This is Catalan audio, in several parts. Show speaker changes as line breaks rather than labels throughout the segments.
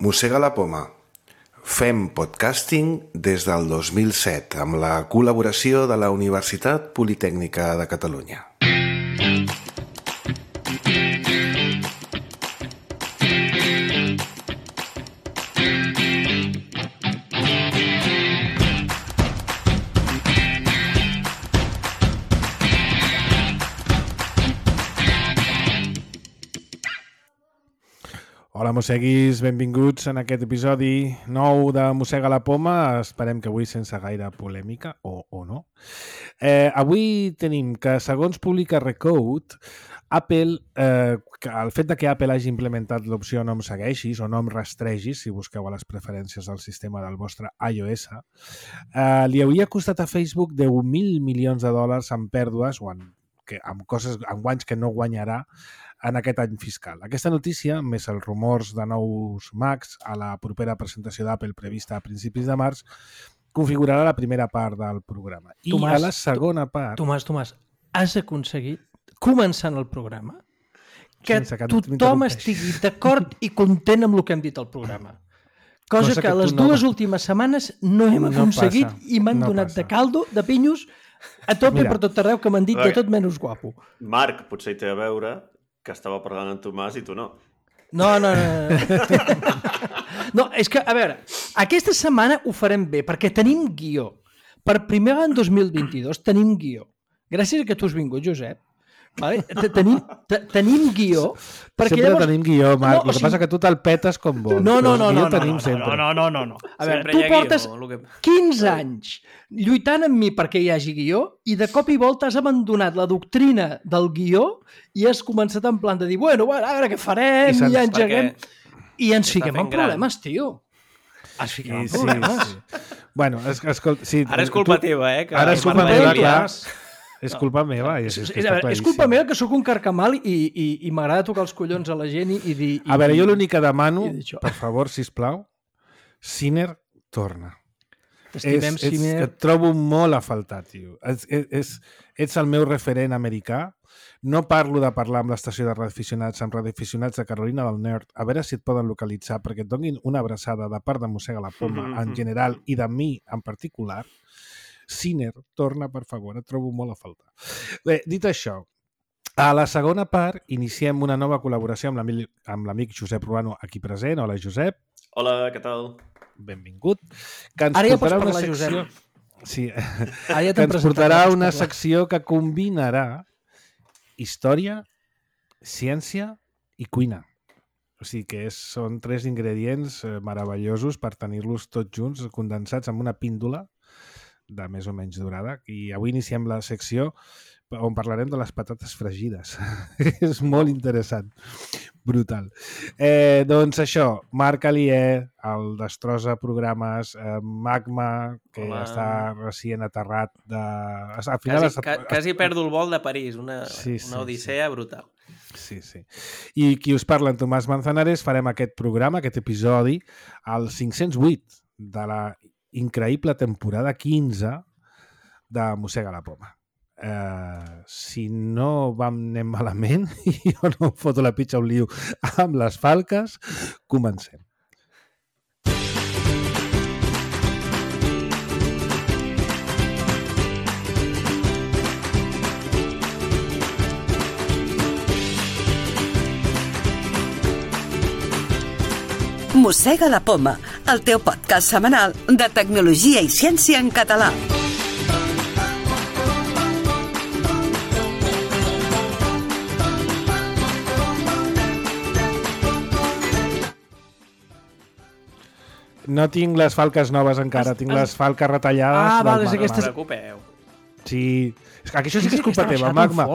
Mossega la poma. Fem podcasting des del 2007 amb la col·laboració de la Universitat Politècnica de Catalunya.
Hola, mosseguis, benvinguts en aquest episodi nou de Mossega la poma. Esperem que avui sense gaire polèmica, o no. Avui tenim que, segons publica Recode, Apple, el fet de que Apple hagi implementat l'opció no em segueixis o no em rastregis, si busqueu a les preferències del sistema del vostre iOS, li hauria costat a Facebook $10.000 milions en pèrdues o amb guanys que no guanyarà en aquest any fiscal. Aquesta notícia, més els rumors de nous Macs a la propera presentació d'Apple prevista a principis de març, configurarà la primera part del programa. I a la segona part...
Tomàs, has aconseguit, començant el programa, que tothom estigui d'acord i content amb el que hem dit al programa. Cosa que les dues últimes setmanes no hem aconseguit i m'han donat de caldo, de pinyos, a tope per tot arreu, que m'han dit de tot menys guapo.
Marc, potser hi té a veure que estava parlant amb Tomàs i tu no.
No. No, és que, a veure, aquesta setmana ho farem bé, perquè tenim guió. Per primer any 2022 tenim guió. Gràcies a que tu has vingut, Josep. Vale? Tenim guió.
Sempre llavors... tenim guió, Marc. El que passa que tu te'l petes com vols.
No.
No.
A veure, tu portes 15 anys lluitant amb mi perquè hi hagi guió i de cop i volta has abandonat la doctrina del guió i has començat en plan de dir, bueno, a veure què farem, i ja engeguem. I ens fiquem en problemes, tio. Ens fiquem en problemes.
Bueno, escolta...
Ara és culpa teva, eh?
Ara és culpa meva, clar. És culpa meva.
És culpa meva que sóc un carcamal i m'agrada tocar els collons a la gent i dir...
A veure, jo l'únic que demano, per favor, sisplau, Sinner, torna.
T'estimem, Sinner.
Et trobo molt a faltar, tio. Ets el meu referent americà. No parlo de parlar amb l'estació de radioaficionats, amb radioaficionats de Carolina del Nord, a veure si et poden localitzar perquè et donin una abraçada de part de Mossega la poma en general i de mi en particular. Sinner, torna, per favor, et trobo molt a faltar. Bé, dit això, a la segona part iniciem una nova col·laboració amb l'amic Josep Ruano, aquí present. Hola, Josep.
Hola, què tal?
Benvingut. Que ens
ara ja pots
portarà
parlar, Josep.
Sí, que ens portarà una secció que combinarà història, ciència i cuina. O sigui que són 3 ingredients meravellosos per tenir-los tots junts, condensats en una píndola de més o menys durada, i avui iniciem la secció on parlarem de les patates fregides. És molt interessant. Brutal. Doncs això, Marc Alier, el Destrosa Programes, Magma, que està recient aterrat de... Al final
quasi perdo el vol de París, una odissea brutal.
Sí. I qui us parla, en Tomàs Manzanares, farem aquest programa, aquest episodi, al 508 de la increïble temporada 15 de Mossega la poma. Si no anem malament i jo no em foto la pitxa un liu amb les falques, comencem.
Mossega la poma, el teu podcast setmanal de tecnologia i ciència en català.
No tinc les falques noves encara, tinc les falques retallades.
Vale,
no us preocupeu.
Sí, és que això sí que és culpa teva, Magma.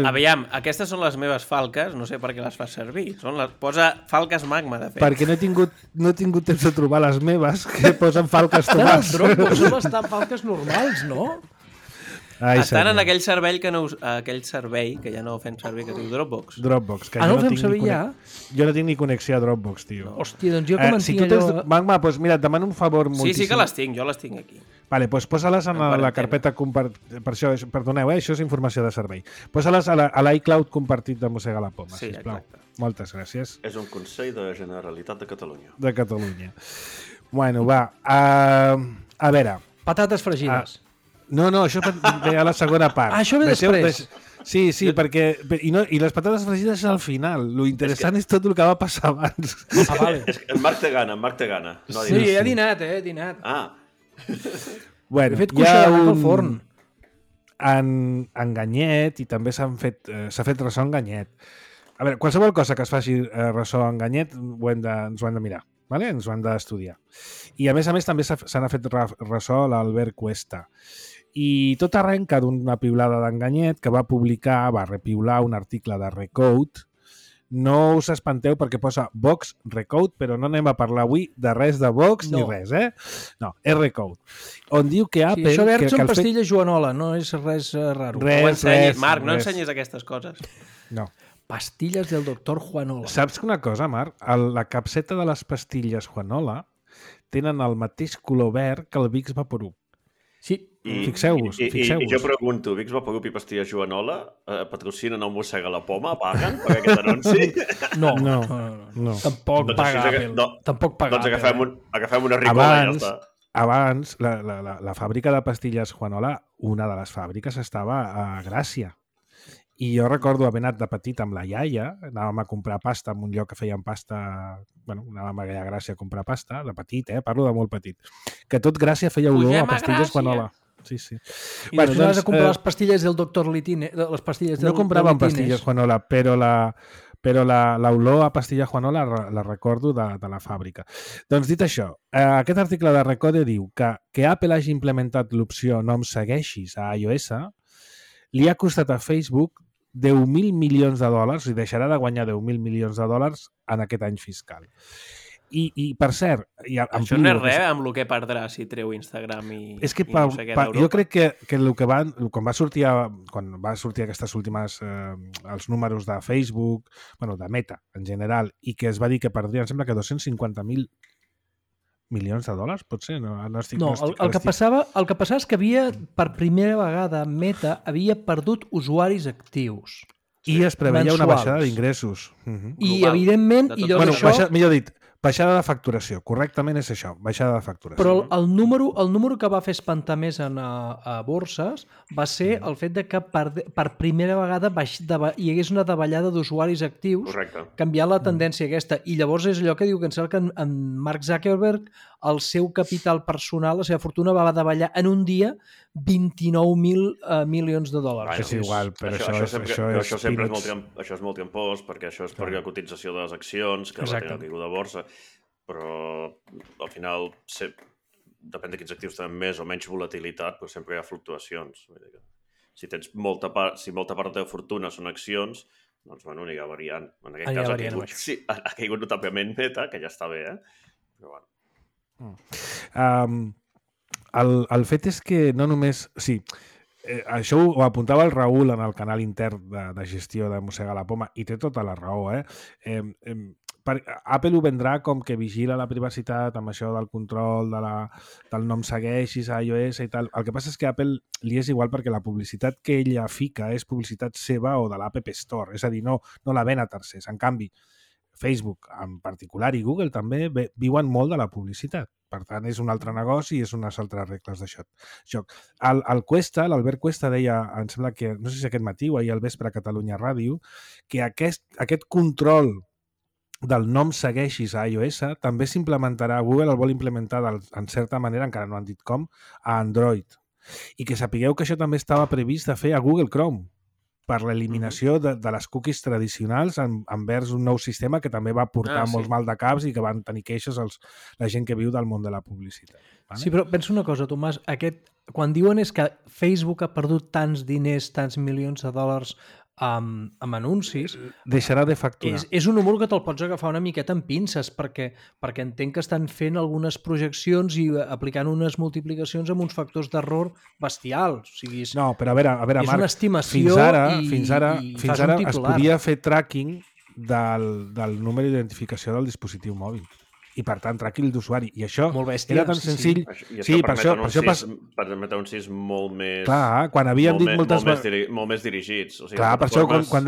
Aviam, aquestes són les meves falques, no sé per què les fas servir. Posa falques Magma, de fet.
Perquè no he tingut temps de trobar les meves, que posen falques Tomàs.
Són les falques normals, no?
Estan en aquell servei que ja no fem servir, que es diu Dropbox.
Dropbox. Que
no ho fem servir ja?
Jo no tinc ni connexió a Dropbox, tio.
Hòstia, doncs jo que
si tu tens... Magma, doncs mira, et demano un favor moltíssim.
Sí que les tinc, jo les tinc aquí.
Vale, doncs posa-les en la carpeta compartida. Per això, perdoneu, això és informació de servei. Posa-les a l'iCloud compartit de Mossega la Poma, sisplau. Moltes gràcies.
És un consell de Generalitat de Catalunya.
De Catalunya. Bueno, va. A veure...
Patates fregides.
No, això ve a la segona part.
Això ve després.
Sí, perquè... I les patates fregides és al final. Lo interessant és tot el que va passar abans.
Vale.
En Marc té gana. No
sí, he dinat, he dinat.
Bueno,
he fet cuixa de al forn.
En Ganyet, i també s'ha fet ressò en Ganyet. A veure, qualsevol cosa que es faci ressò en Ganyet ens ho hem de mirar. Vale? Ens ho hem d'estudiar. I a més també se n'ha fet ressò a l'Albert Cuesta. I tot arrenca d'una piulada d'Enganyet que va repiular un article de Recode. No us espanteu perquè posa Vox Recode, però no anem a parlar avui de res de Vox ni res, No, és Recode. On diu que Apple...
Sí, això verd són pastilles Joanola, no és res raro.
Marc, no ensenyis aquestes coses.
No.
Pastilles del doctor Juanola.
Saps una cosa, Marc? La capseta de les pastilles Juanola tenen el mateix color verd que el Vicks Vaporub.
Sí.
Fixeu-vos.
I jo pregunto, Vicks Vaporub i pastilles Joanola patrocinen el Mossega la Poma? Paguen per aquest anunci?
No.
Tampoc paga Apple. Tampoc paga
Apple. Doncs agafem una ricola i ja està.
Abans, la fàbrica de pastilles Juanola, una de les fàbriques, estava a Gràcia. I jo recordo haver anat de petit amb la iaia, anàvem a comprar pasta en un lloc que feien pasta, anàvem a Gràcia a comprar pasta, de petit, parlo de molt petit, que tot Gràcia feia olor a pastilles Juanola. Sí.
I després anaves a comprar les pastilles del doctor Litine, les pastilles del
no compràvem pastilles Juanola, però l'olor a pastilla Juanola la recordo de la fàbrica. Doncs dit això, aquest article de Recode diu que Apple hagi implementat l'opció no em segueixis a iOS li ha costat a Facebook $10.000 milions, i deixarà de guanyar $10.000 milions en aquest any fiscal. I per cert...
Això no és res amb el que perdrà si treu Instagram i no sé què d'Europa.
Jo crec que quan va sortir aquestes últimes els números de Facebook, de Meta en general, i que es va dir que perdrien, em sembla que $250.000 milions, potser?
El que passava és que per primera vegada Meta havia perdut usuaris actius.
I es preveia una baixada d'ingressos.
I, evidentment...
Millor dit, baixada de facturació. Correctament és això, baixada de facturació.
Però el número que va fer espantar més a borses va ser el fet de que per primera vegada hi hagués una davallada d'usuaris actius, canviant la tendència aquesta. I llavors és allò que diu que en Mark Zuckerberg, el seu capital personal, la seva fortuna, va davallar en un dia $29.000 milions.
És igual, però
això és molt trampós, perquè això és per la cotització de les accions, que va tenir caiguda de borsa, però al final depèn de quins actius tenen més o menys volatilitat, però sempre hi ha fluctuacions. Si molta part de la teva fortuna són accions, doncs anirà variant. En aquest cas ha caigut notablement Meta, que ja està bé, però bueno.
El fet és que no només... Sí, això ho apuntava el Raül en el canal intern de gestió de Mossega la Poma, i té tota la raó. Apple ho vendrà com que vigila la privacitat amb això del control del no em segueixis a iOS i tal. El que passa és que a Apple li és igual perquè la publicitat que ella fica és publicitat seva o de l'App Store, és a dir, no la ven a tercers. En canvi, Facebook en particular i Google també viuen molt de la publicitat. Per tant, és un altre negoci i és unes altres regles de joc. L'Albert Cuesta deia, em sembla que, no sé si aquest matí o ahir al vespre a Catalunya Ràdio, que aquest control del no em segueixis a iOS també s'implementarà, Google el vol implementar en certa manera, encara no han dit com, a Android. I que sapigueu que això també estava previst de fer a Google Chrome, per l'eliminació de les cookies tradicionals envers un nou sistema que també va portar molts maldecaps i que van tenir queixes la gent que viu del món de la publicitat. Vale?
Sí, però pensa una cosa, Tomàs, quan diuen és que Facebook ha perdut tants diners, tants milions de dòlars amb anuncis,
deixarà de facturar.
És un número que te'l pots agafar una miqueta amb pinces, perquè entenc que estan fent algunes projeccions i aplicant unes multiplicacions amb uns factors d'error bestials. O sigui,
no, però a veure,
és
Marc,
una estimació
fins ara es podia fer tracking del número d'identificació del dispositiu mòbil. I, per tant, tracking d'usuari. I això era tan senzill...
Sí, per això permet anuncis molt més...
Clar, quan havíem dit moltes
vegades... Molt més dirigits. O sigui,
clar, per això quan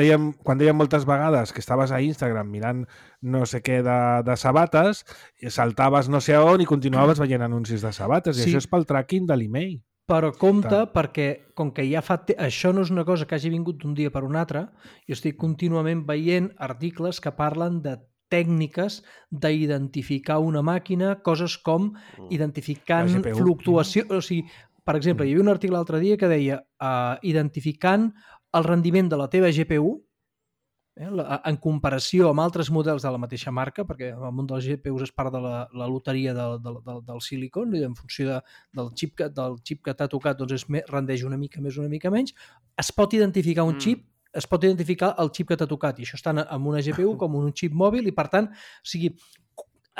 dèiem moltes vegades que estaves a Instagram mirant no sé què de sabates, saltaves no sé on i continuaves veient anuncis de sabates. I això és pel tracking de l'email.
Però compte, perquè com que ja fa... Això no és una cosa que hagi vingut d'un dia per un altre, jo estic contínuament veient articles que parlen de tècniques d'identificar una màquina, coses com identificant fluctuació... O sigui, per exemple, hi havia un article l'altre dia que deia identificant el rendiment de la teva GPU en comparació amb altres models de la mateixa marca, perquè el món dels GPUs és part de la loteria del silicon, i en funció del xip que t'ha tocat doncs rendeix una mica més, una mica menys. Es pot identificar un xip, es pot identificar el xip que t'ha tocat, i això està amb una GPU com un xip mòbil, i per tant, o sigui,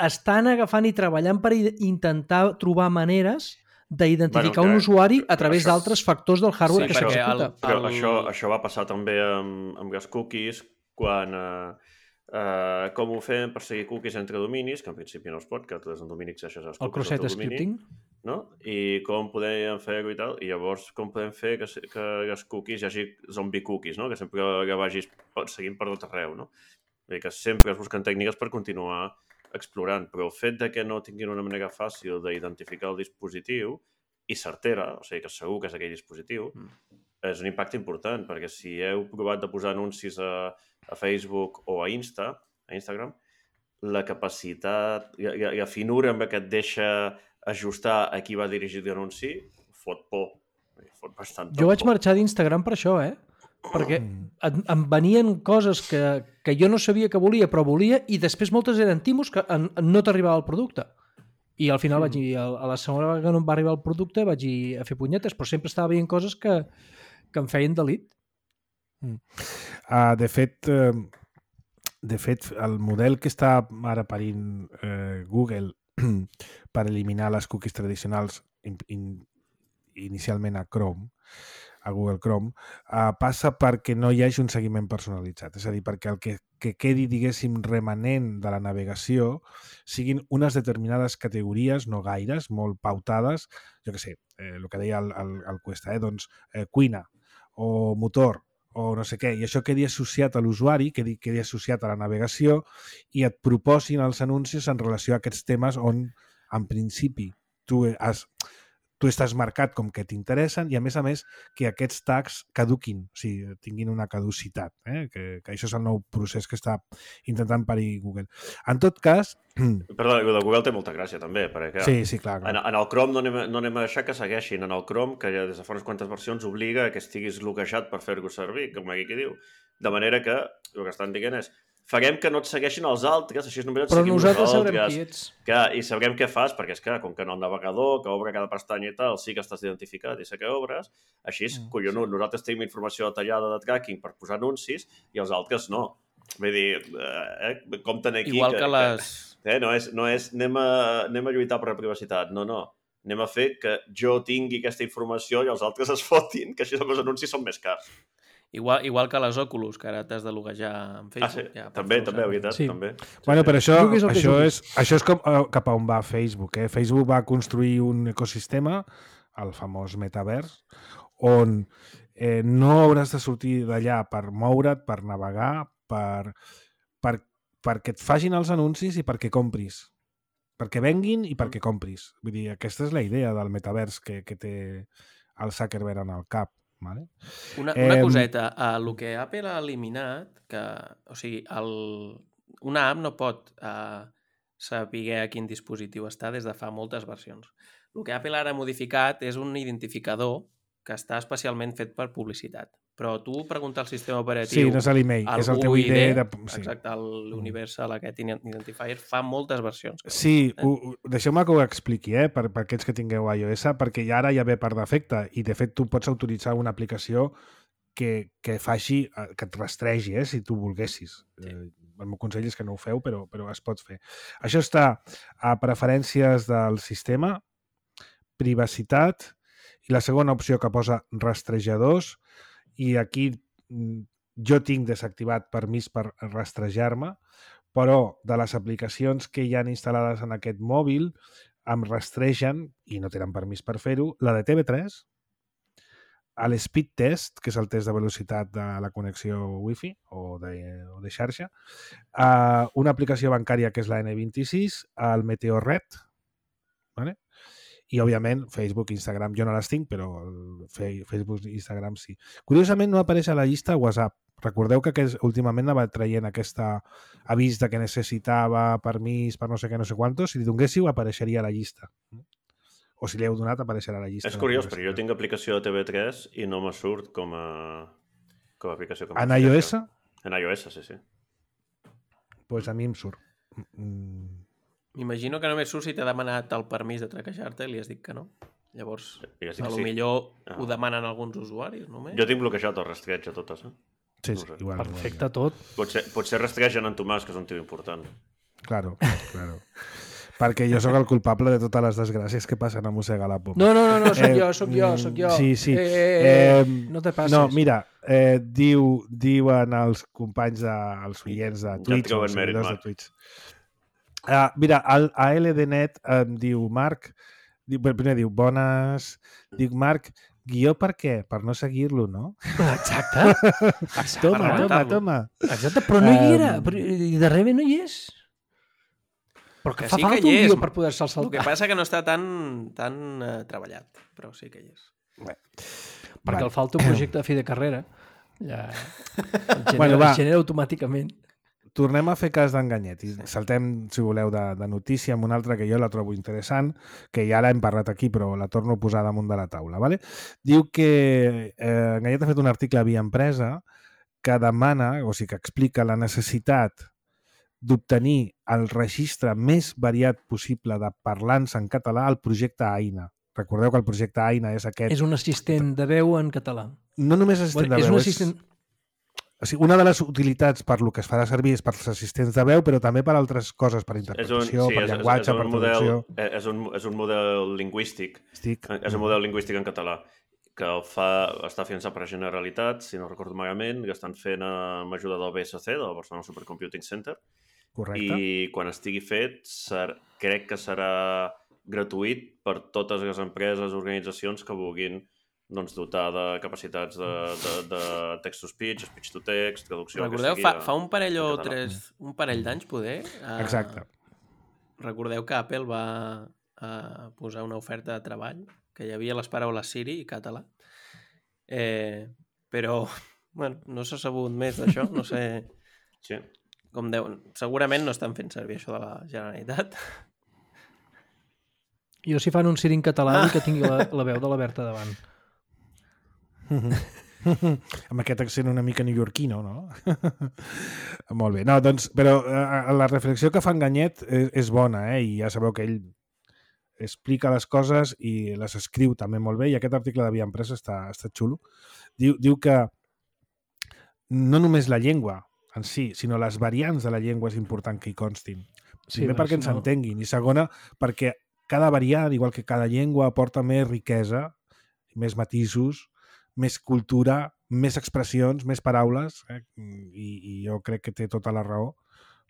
estan agafant i treballant per intentar trobar maneres d'identificar un usuari a través d'altres factors del hardware que s'executa.
Però això va passar també amb les cookies, quan com ho fem per seguir cookies entre dominis, que en principi no es pot, que des d'un domini accedeixes als cookies
del teu domini,
scripting, no? I com podem fer-ho i tal, i llavors com podem fer que les cookies hi hagi zombie cookies, no? Que sempre que vagis seguint per tot arreu, no? Vull dir que sempre es busquen tècniques per continuar explorant, però el fet de que no tinguin una manera fàcil d'identificar el dispositiu i certera, o sigui que segur que és aquell dispositiu, és un impacte important, perquè si heu provat de posar anuncis a Facebook o a Instagram, la capacitat i la finura amb què et deixa ajustar a qui va dirigir l'anunci fot por. Fot bastant
jo vaig marxar d'Instagram per això, perquè em venien coses que jo no sabia que volia, però volia, i després moltes eren timos que no t'arribava el producte. I al final a la segona vegada que no em va arribar el producte vaig ir a fer punyetes, però sempre estava veient coses que em feien delit.
De fet, el model que està ara parint Google per eliminar les cookies tradicionals inicialment a Google Chrome, passa perquè no hi hagi un seguiment personalitzat. És a dir, perquè el que quedi, diguéssim, remanent de la navegació siguin unes determinades categories, no gaires, molt pautades, jo què sé, el que deia el Cuesta, doncs cuina o motor, o no sé què, i això quedi associat a l'usuari, quedi associat a la navegació, i et proposin els anuncis en relació a aquests temes on, en principi, tu estàs marcat com que t'interessen, i a més, que aquests tags caduquin, o sigui, tinguin una caducitat, que això és el nou procés que està intentant parir Google. En tot cas...
Perdó, el de Google té molta gràcia, també, perquè
sí, clar.
En el Chrome no anem a deixar que segueixin. En el Chrome, que ja des de fa unes quantes versions obliga que estiguis bloquejat per fer-ho servir, com aquí que diu. De manera que el que estan dient és farem que no et segueixin els altres, així només et seguim nosaltres.
Però nosaltres sabrem qui ets.
I sabrem què fas, perquè és que, com que en el navegador, que obre cada pestanya i tal, sí que estàs identificat i sé que obres, així és collonut. Nosaltres tenim informació detallada de tracking per posar anuncis i els altres no. Vull dir, compten aquí...
Igual que les...
No és anem a lluitar per la privacitat, no. Anem a fer que jo tingui aquesta informació i els altres es fotin, que així els anuncis són més cars.
Igual que les Oculus, que ara t'has de loguejar en Facebook.
Sí. També, veritat, sí. També.
Bueno, però això és com cap a on va Facebook. Facebook va construir un ecosistema, el famós metavers, on no hauràs de sortir d'allà per moure't, per navegar, perquè et facin els anuncis i perquè compris. Perquè venguin i perquè compris. Vull dir, aquesta és la idea del metavers que té el Zuckerberg en el cap. Vale.
Una coseta, el que Apple ha eliminat, o sigui, una app no pot saber a quin dispositiu està des de fa moltes versions. El que Apple ara ha modificat és un identificador que està especialment fet per publicitat. Però tu pregunta al sistema operatiu...
Sí, no és l'email, és el teu ID.
Exacte, l'Universal aquest Identifier fa moltes versions.
Sí, deixeu-me que ho expliqui, per aquests que tingueu iOS, perquè ara ja ve per defecte, i de fet tu pots autoritzar una aplicació que faci, que et rastregi, si tu volguessis. El meu consell és que no ho feu, però es pot fer. Això està a preferències del sistema, privacitat, i la segona opció que posa rastrejadors, i aquí jo tinc desactivat permís per rastrejar-me, però de les aplicacions que hi han instal·lades en aquest mòbil em rastregen, i no tenen permís per fer-ho, la de TV3, l'Speed Test, que és el test de velocitat de la connexió Wi-Fi o de xarxa, una aplicació bancària que és la N26, el Meteorred, ¿vale? I, òbviament, Facebook, Instagram, jo no les tinc, però Facebook i Instagram sí. Curiosament, no apareix a la llista WhatsApp. Recordeu que últimament anava traient aquest avís de que necessitava permís per no sé què, no sé quantos. Si li donguéssiu, apareixeria a la llista. O si li heu donat, apareixerà a la llista.
És curiós, perquè jo tinc aplicació de TV3 i no me surt com a aplicació.
En iOS?
En iOS, sí.
Pues a mi em surt.
M'imagino que només surt si t'ha demanat el permís de traquejar-te i li has dit que no. Llavors, millor ho demanen alguns usuaris, només.
Jo tinc bloquejat el rastreig a totes,
Sí, igual.
Perfecte, tot.
Potser rastregen en Tomàs, que és un tio important.
Claro. Perquè jo sóc el culpable de totes les desgràcies que passen a Mossega la Poma.
No, sóc jo.
Sí.
No te passes.
No, mira, diuen els companys, els oients de Twitch, els seguidors de Twitch. Mira, a LDNet em diu Marc, primer diu bones, dic Marc, guió per què? Per no seguir-lo, no?
Exacte.
Toma.
Exacte, però no hi era. I darrere no hi és. Però que fa falta un guió per poder-se'l saltar.
El que passa que no està tan treballat, però sí que hi és.
Perquè el falta un projecte de fi de carrera. Ja el genera automàticament.
Tornem a fer cas d'Enganyet i saltem, si voleu, de notícia amb una altra que jo la trobo interessant, que ja l'hem parlat aquí, però la torno a posar damunt de la taula. ¿vale? Diu que Enganyet ha fet un article a Via Empresa que demana, o sigui, que explica la necessitat d'obtenir el registre més variat possible de parlants en català al projecte AINA. Recordeu que el projecte AINA és aquest...
És un assistent de veu en català.
No només assistent de veu,
és un assistent...
O sigui, una de les utilitats per lo que es farà servir és per als assistents de veu, però també per altres coses, per interpretació, per llenguatge, per traducció.
És un model lingüístic. És un model lingüístic en català que està finançat per Generalitat, si no recordo malament, que estan fent amb ajuda del BSC, del Barcelona Supercomputing Center.
Correcte.
I quan estigui fet, crec que serà gratuït per totes les empreses, organitzacions que vulguin dotar de capacitats de text-to-speech, speech-to-text, traducció...
Recordeu, fa un parell o un parell d'anys, poder?
Exacte.
Recordeu que Apple va posar una oferta de treball, que hi havia les paraules Siri i català. Però, bueno, no s'ha sabut més d'això, no sé...
Sí.
Com segurament no estan fent servir això de la Generalitat.
Jo si fan un Siri en català vull que tingui la veu de la Berta davant.
Amb aquest accent una mica neoyorquino, no? Molt bé. No, doncs, però la reflexió que fa Enganyet és bona, i ja sabeu que ell explica les coses i les escriu també molt bé, i aquest article de Via Empresa està xulo. Diu que no només la llengua en si, sinó les variants de la llengua és important que hi constin. Primer perquè ens entenguin, i segona perquè cada variant, igual que cada llengua, aporta més riquesa, més matisos, més cultura, més expressions, més paraules, i jo crec que té tota la raó.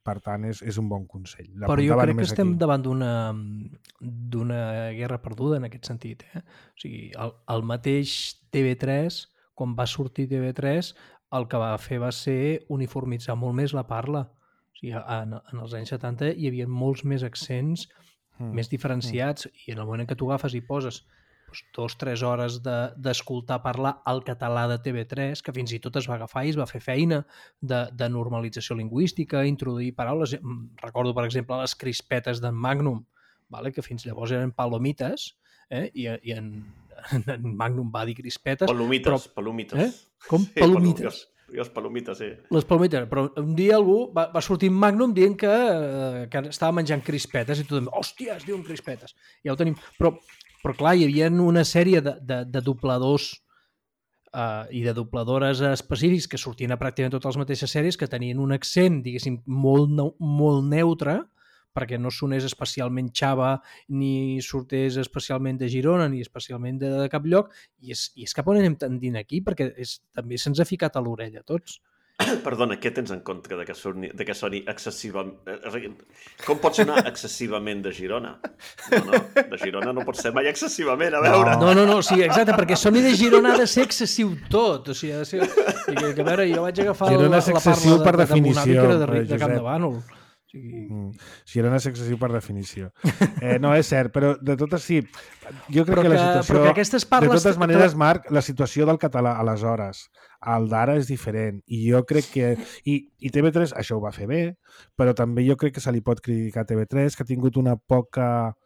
Per tant, és un bon consell.
Però jo crec que estem davant d'una guerra perduda en aquest sentit. O sigui, el mateix TV3, quan va sortir TV3, el que va fer va ser uniformitzar molt més la parla. O sigui, en els anys 70 hi havia molts més accents més diferenciats, i en el moment en què tu agafes i poses 2-3 hores d'escoltar parlar el català de TV3, que fins i tot es va agafar i es va fer feina de normalització lingüística, introduir paraules. Recordo, per exemple, les crispetes d'en Magnum, que fins llavors eren palomites, i en Magnum va dir crispetes.
Palomites.
Com? Palomites.
Les palomites, sí.
Les palomites, però un dia algú va sortir en Magnum dient que estava menjant crispetes i tothom, hòstia, es diuen crispetes. Ja ho tenim. Però clar, hi havia una sèrie de dobladors i de dobladores específics que sortien a pràcticament totes les mateixes sèries, que tenien un accent, diguéssim, molt neutre, perquè no sonés especialment xava, ni sortés especialment de Girona, ni especialment de cap lloc, i és cap on anem tendint aquí, perquè també se'ns ha ficat a l'orella a tots.
Perdona, què tens en contra de que soni excessivament... Com pot sonar excessivament de Girona? No, de Girona no pot ser mai excessivament, a veure.
No, sí, exacte, perquè soni de Girona ha de ser excessiu tot. O sigui, ha de ser... Que, a veure, jo vaig agafar
Girona és excessiu per definició,
de Camp de Bànol.
Girona és excessiu per definició. No, és cert, però de totes sí. Jo crec que la situació... De totes maneres, Marc, la situació del català aleshores, el d'ara és diferent. I jo crec que... I TV3 això ho va fer bé, però també jo crec que se li pot criticar a TV3, que ha tingut una poca...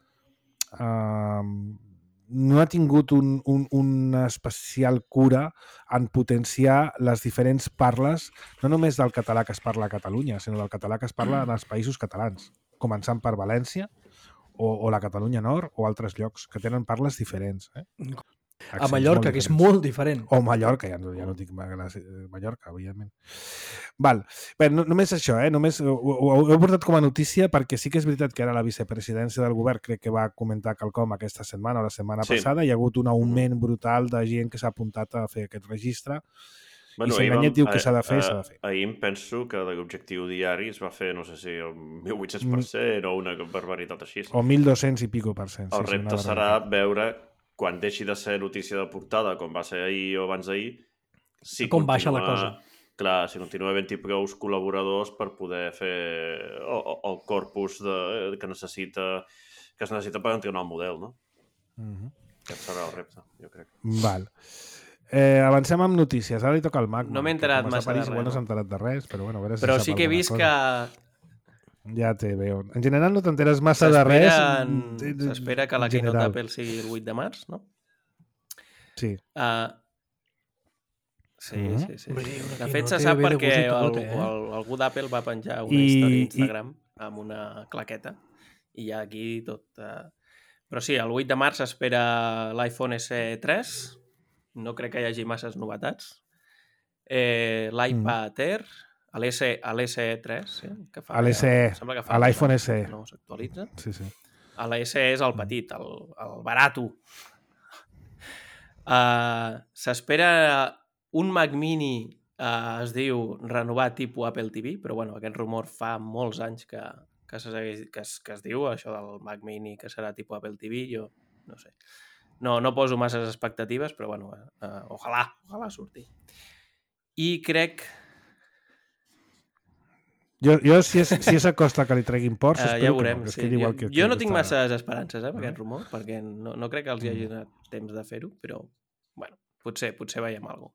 no ha tingut una especial cura en potenciar les diferents parles, no només del català que es parla a Catalunya, sinó del català que es parla en els països catalans, començant per València o la Catalunya Nord o altres llocs que tenen parles diferents.
A Mallorca, que és molt diferent.
O Mallorca, ja no dic Mallorca, evidentment. Val. Bé, només això, només ho he portat com a notícia perquè sí que és veritat que ara la vicepresidència del govern crec que va comentar quelcom aquesta setmana o la setmana passada. Hi ha hagut un augment brutal de gent que s'ha apuntat a fer aquest registre. I si Enganyet diu que s'ha de fer, s'ha de fer.
Ahir em penso que de l'objectiu diari es va fer, no sé si el 1.800% o una barbaritat així.
O 1.200 i pico %.
El repte serà veure quan deixi de ser notícia de portada, com va ser ahir o abans d'ahir, si
com baixa la cosa.
Clar, si continua havent-hi prou col·laboradors per poder fer el corpus que es necessita per entrenar el model, no? Aquest serà el repte, jo crec.
Val. Avancem amb notícies. Ara li toca al Mac.
No m'he enterat massa de res.
No s'ha enterat de res, però bueno, a veure si
però sí que he vist que...
Ja te veo. En general no t'enteres massa de res.
S'espera que la keynote d'Apple sigui el 8 de març, no?
Sí.
Sí. De fet, se sap perquè algú d'Apple va penjar una història a Instagram amb una claqueta i hi ha aquí tot... Però sí, el 8 de març s'espera l'iPhone SE3. No crec que hi hagi masses novetats. L'iPad Air... A l'SE3, sí, que fa...
A l'iPhone SE.
No s'actualitza.
Sí.
A l'SE és el petit, el barato. S'espera un Mac Mini, es diu renovat tipus Apple TV, però bueno, aquest rumor fa molts anys que es diu, això del Mac Mini que serà tipus Apple TV, jo no sé. No poso masses expectatives, però bueno, ojalà surti. I crec...
Jo si s'acosta que li treguin ports,
ja veurem. Sí. Jo no tinc masses esperances amb aquest rumor, perquè no crec que els hi hagi donat temps de fer-ho, però bueno, potser veiem alguna cosa.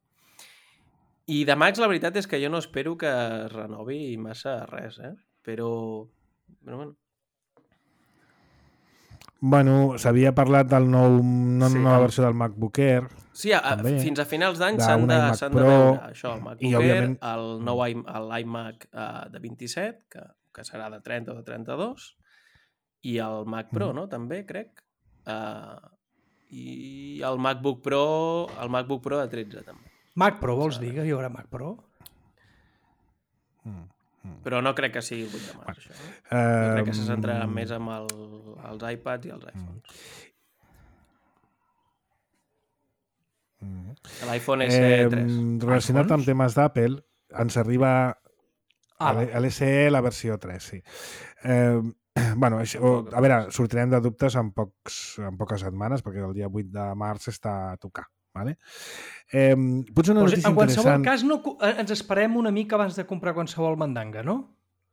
I de Macs la veritat és que jo no espero que es renovi massa res, però bueno.
Bueno, s'havia parlat del nova versió del MacBook Air.
Sí, fins a finals d'any s'han de veure això, el MacBook Air, l'iMac de 27, que serà de 30 o de 32, i el Mac Pro, no? També, crec. I el MacBook Pro de 13, també.
Mac Pro, vols dir que hi haurà Mac Pro?
Però no crec que sigui el 8 de març, això. Jo crec que se centrarà més amb els iPads i els iPhones. L'iPhone SE3.
Relacionat amb temes d'Apple, ens arriba a l'SE la versió 3, sí. Bueno, a veure, sortirem de dubtes en poques setmanes, perquè el dia 8 de març està a tocar. Vale? Potser una notícia
en qualsevol
interessant...
cas ens esperem una mica abans de comprar qualsevol mandanga, no?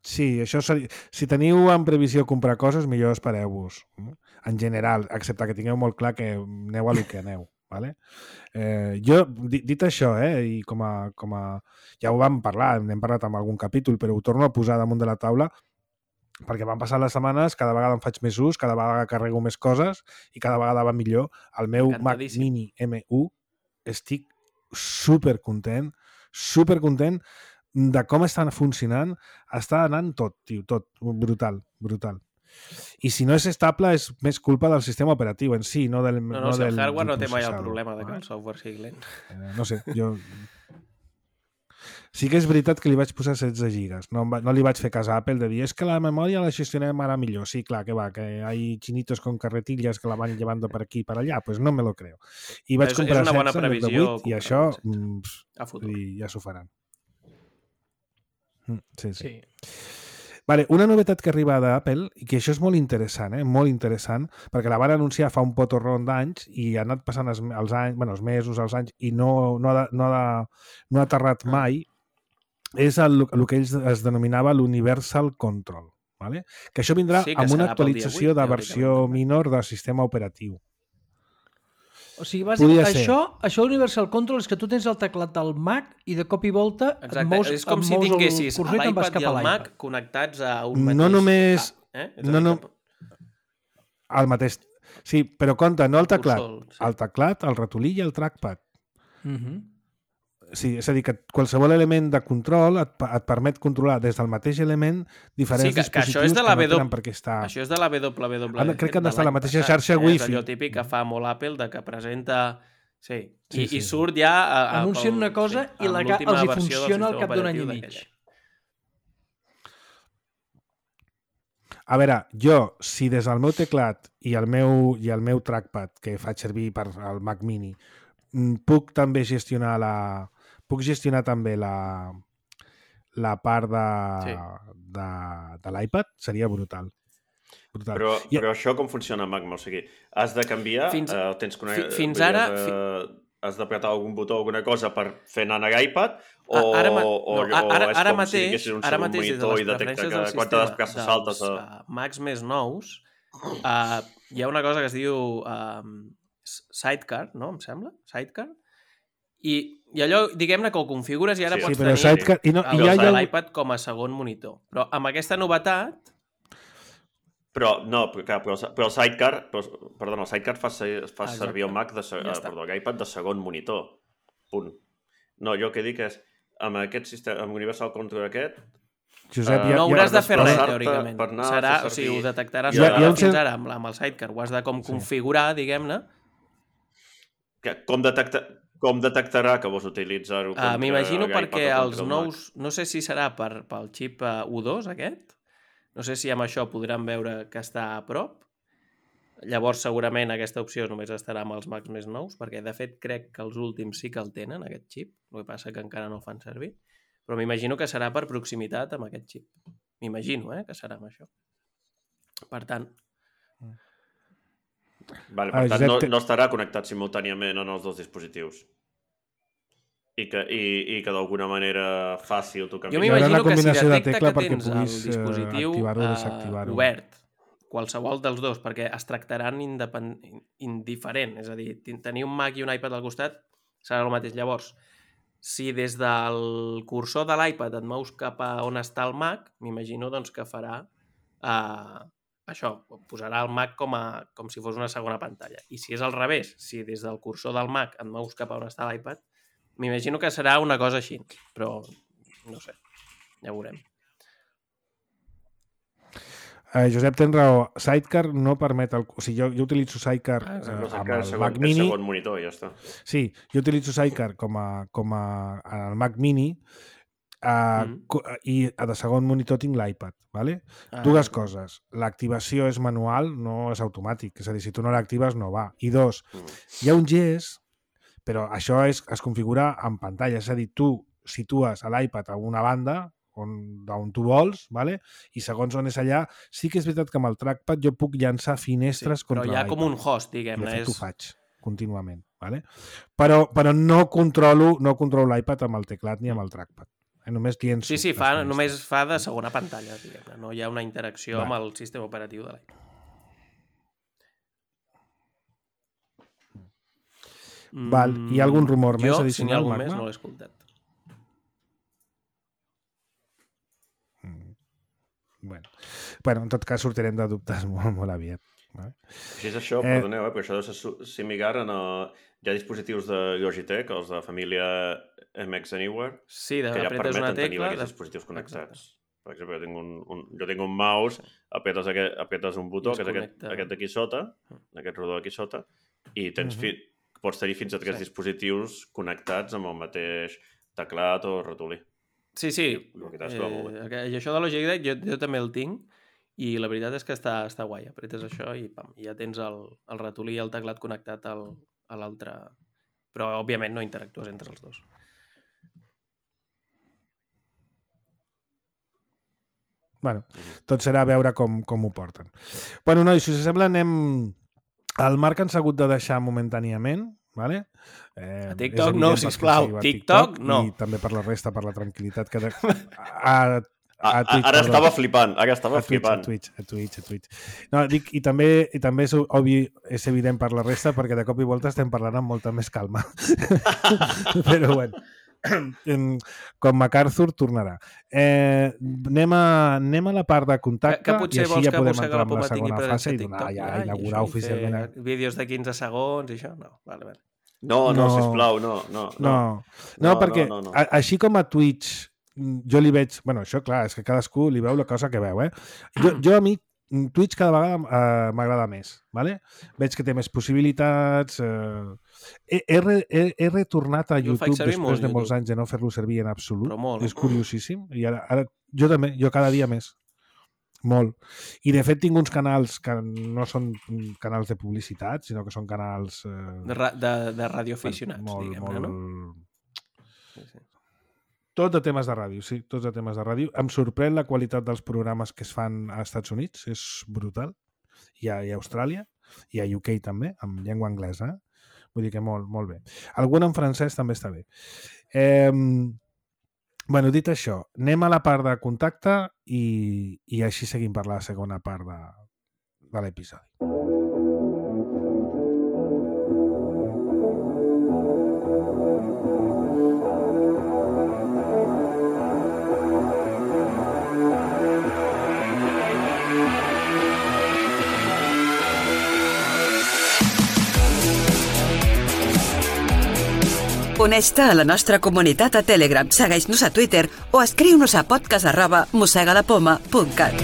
Sí, això si teniu en previsió comprar coses, millor espereu-vos. En general, excepte que tingueu molt clar que aneu a lo que aneu. Vale? Jo, dit això, i com a... Ja ho vam parlar, n'hem parlat en algun capítol, però ho torno a posar damunt de la taula perquè van passar les setmanes, cada vegada en faig més ús, cada vegada carrego més coses i cada vegada va millor. El meu Mac Mini M1 estic supercontent de com estan funcionant. Està anant tot, tio, tot. Brutal. I si no és estable és més culpa del sistema operatiu en si, no del
No, si el hardware no té mai el problema de que el software sigui lent.
No sé, jo... Sí que és veritat que li vaig posar 16 gigas. No li vaig fer cas a Apple de dir és que la memòria la gestionem ara millor. Sí, clar, que va, que hay chinitos con carretillas que la van llevando per aquí i per allà. Pues no me lo creo. I vaig comprar 16 en lloc de 8 i això ja s'ho faran. Sí. Vale, una novetat que arriba d'Apple, i que això és molt interessant, molt interessant, perquè la van anunciar fa un potorron d'anys i ha anat passant els mesos, els anys, i no ha aterrat mai, és el que ells es denominava l'Universal Control. Vale? Que això vindrà amb una actualització de versió minor del sistema operatiu.
O sigui, bàsicament, això Universal Control és que tu tens el teclat del Mac i de cop i volta
és com si tinguessis l'iPad i el Mac connectats a un mateix...
No només... El mateix... Sí, però compte, no el teclat. El teclat, el ratolí i el trackpad. Sí, és a dir, que qualsevol element de control et permet controlar des del mateix element diferents dispositius que no tenen per què estar...
Això és de la WWDC.
Crec que han d'estar a la mateixa xarxa Wi-Fi.
És allò típic que fa molt Apple, de que presenta... Sí, i surt ja...
Anuncien una cosa i els hi funciona al cap d'un any i mig.
A veure, jo, si des del meu teclat i el meu trackpad, que faig servir per al Mac Mini, puc també gestionar també la part de l'iPad, seria brutal.
Però això com funciona, Magma? O sigui, has de canviar?
Fins ara...
Has d'apretar algun botó o alguna cosa per fer anar a l'iPad?
Ara mateix, des de les preferències del sistema dels Macs més nous, hi ha una cosa que es diu Sidecar, no? Em sembla? Sidecar? I allò, diguem-ne, que ho configures i ara pots tenir l'iPad com a segon monitor. Però amb aquesta novetat...
Però el Sidecar, el Sidecar fa servir el Mac l'iPad de segon monitor. Punt. No, jo el que dic és, amb aquest sistema, amb Universal Control aquest...
Josep,
no hauràs de fer res, teòricament. O sigui, ho detectaràs fins ara amb el Sidecar. Ho has de configurar, diguem-ne.
Com detectarà que vols utilitzar-ho?
M'imagino perquè els nous... No sé si serà pel xip U2, aquest. No sé si amb això podran veure que està a prop. Llavors, segurament, aquesta opció només estarà amb els Macs més nous, perquè, de fet, crec que els últims sí que el tenen, aquest xip. El que passa que encara no el fan servir. Però m'imagino que serà per proximitat amb aquest xip. M'imagino, que serà amb això. Per tant...
Vale, per tant, no estarà connectat simultàniament en els dos dispositius. I que d'alguna manera fàcil tu canvies.
Jo m'imagino que si detecta que tens el dispositiu obert, qualsevol dels dos, perquè es tractaran indiferent, és a dir, tenir un Mac i un iPad al costat serà el mateix. Llavors, si des del cursor de l'iPad et mous cap a on està el Mac, m'imagino doncs, que farà això, posarà el Mac com si fos una segona pantalla. I si és al revés, si des del cursor del Mac et mous cap a on està l'iPad, m'imagino que serà una cosa així, però no sé, ja ho veurem.
Josep, tens raó. Sidecar no permet... O sigui, jo utilitzo Sidecar amb el Mac Mini.
Segon monitor, ja està.
Sí, jo utilitzo Sidecar com el Mac Mini i de segon monitor tinc l'iPad. ¿Vale? Dues coses. L'activació és manual, no és automàtic. És a dir, si tu no l'actives, no va. I dos, hi ha un gest, però això es configura en pantalla. És a dir, tu situes l'iPad a una banda d'on tu vols, ¿vale? I segons on és allà, sí que és veritat que amb el trackpad jo puc llançar finestres contra l'iPad.
Però hi ha com un host, diguem-ne.
I de fet ho faig contínuament. ¿Vale? Però no controlo l'iPad amb el teclat ni amb el trackpad. Només llenço.
Sí, només fa de segona pantalla, diguem-ne. No hi ha una interacció amb el sistema operatiu de l'iPad.
Val. Hi ha algun rumor més addicional,
si n'hi ha algun
Magma?
més, no l'he escoltat.
Bueno, en tot cas sortirem de dubtes molt aviat. Vale?
Així és això, perdoneu, però això deu ser similar hi ha dispositius de Logitech, els de família MX Anywhere,
sí,
que ja permeten
una tecla,
tenir aquests dispositius connectats. Per exemple, jo tinc un mouse, apretes un botó, que és aquest d'aquí sota, aquest rodó d'aquí sota, i pots tenir fins a 3 dispositius connectats amb el mateix teclat o ratolí.
Sí. I això de Logic Deck jo també el tinc, i la veritat és que està guai. Apretes això i pam, ja tens el ratolí i el teclat connectat a l'altre. Però, òbviament, no interactues entre els dos.
Bueno, tot serà veure com ho porten. Bueno, nois, si us sembla, anem... El Marc ens ha hagut de deixar momentàniament, ¿vale?
A TikTok no, sisplau. TikTok no.
I també per la resta, per la tranquil·litat que...
Ara estava flipant.
A Twitch. No, dic, i també és obvi, és evident per la resta, perquè de cop i volta estem parlant amb molta més calma. Però bueno, com MacArthur tornarà. Anem a la part de contacte i així ja podem entrar en la segona fase i inaugurar oficialment.
Vídeos de 15 segons i això? No, vale.
No, sisplau, no.
No, perquè així com a Twitch jo li veig... Bueno, això, clar, és que cadascú li veu la cosa que veu, Jo a mi, Twitch cada vegada m'agrada més, ¿vale? Veig que té més possibilitats... He retornat a YouTube després de molts anys de no fer-lo servir en absolut. És curiosíssim. I ara jo també, jo cada dia més. Molt. I de fet tinc uns canals que no són canals de publicitat, sinó que són canals...
De radioaficionats, diguem-ne, no?
Sí. Tot de temes de ràdio, sí, tots de temes de ràdio. Em sorprèn la qualitat dels programes que es fan als Estats Units, és brutal. I a Austràlia, i a UK també, amb llengua anglesa. Vull dir que molt bé. Algun en francès també està bé. Bueno, dit això, anem a la part de contacte i així seguim per la segona part de l'episodi.
Uneix-te a la nostra comunitat a Telegram, segueix-nos a Twitter o escriu-nos a podcast@mosegalapoma.cat.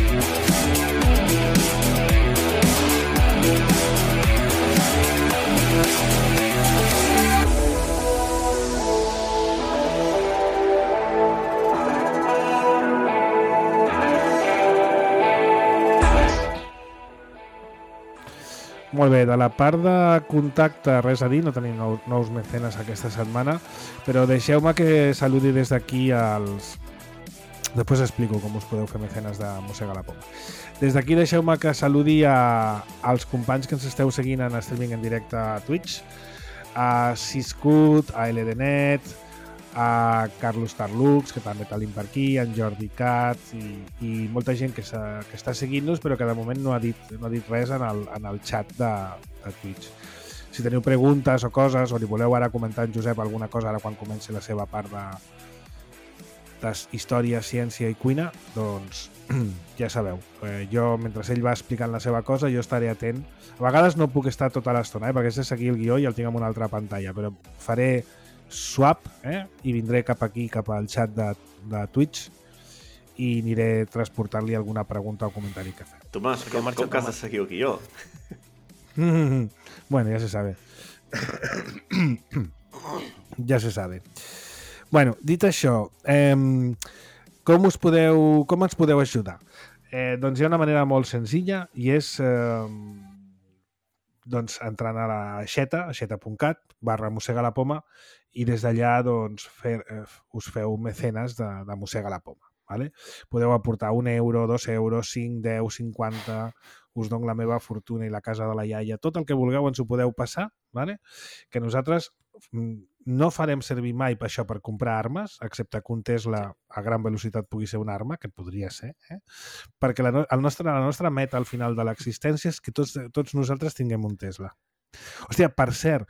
Molt bé, de la part de contacte, res a dir, no tenim nous mecenes aquesta setmana, però deixeu-me que saludi des d'aquí als... Després explico com us podeu fer mecenes de Mossega la Poma. Des d'aquí deixeu-me que saludi als companys que ens esteu seguint en streaming en directe a Twitch, a Siscut, a LDNet, a Carlos Tarlux, que també tenim per aquí, en Jordi Cat i molta gent que està seguint-nos però que de moment no ha dit res en el xat de Twitch. Si teniu preguntes o coses o li voleu ara comentar en Josep alguna cosa ara quan comenci la seva part de història, ciència i cuina, doncs ja sabeu. Jo, mentre ell va explicant la seva cosa, jo estaré atent. A vegades no puc estar tota l'estona, perquè és de seguir el guió i el tinc en una altra pantalla, però faré swap i vindré cap aquí, cap al xat de Twitch i aniré transportant-li alguna pregunta o comentari que fem.
Tomàs, com que has de seguir el guió?
Bueno, ja se sabe. Ja se sabe. Bueno, dit això, com ens podeu ajudar? Doncs hi ha una manera molt senzilla i és entrant a la xeta.cat/mossegalapoma i des d'allà doncs, us feu mecenes de Mossega la Poma. Vale? Podeu aportar 1 euro, 2 euros, 5, 10, 50, us dono la meva fortuna i la casa de la iaia, tot el que vulgueu ens ho podeu passar, vale? Que nosaltres no farem servir mai per això per comprar armes, excepte que un Tesla a gran velocitat pugui ser una arma, que podria ser, perquè la nostra meta al final de l'existència és que tots nosaltres tinguem un Tesla. Hòstia, per cert,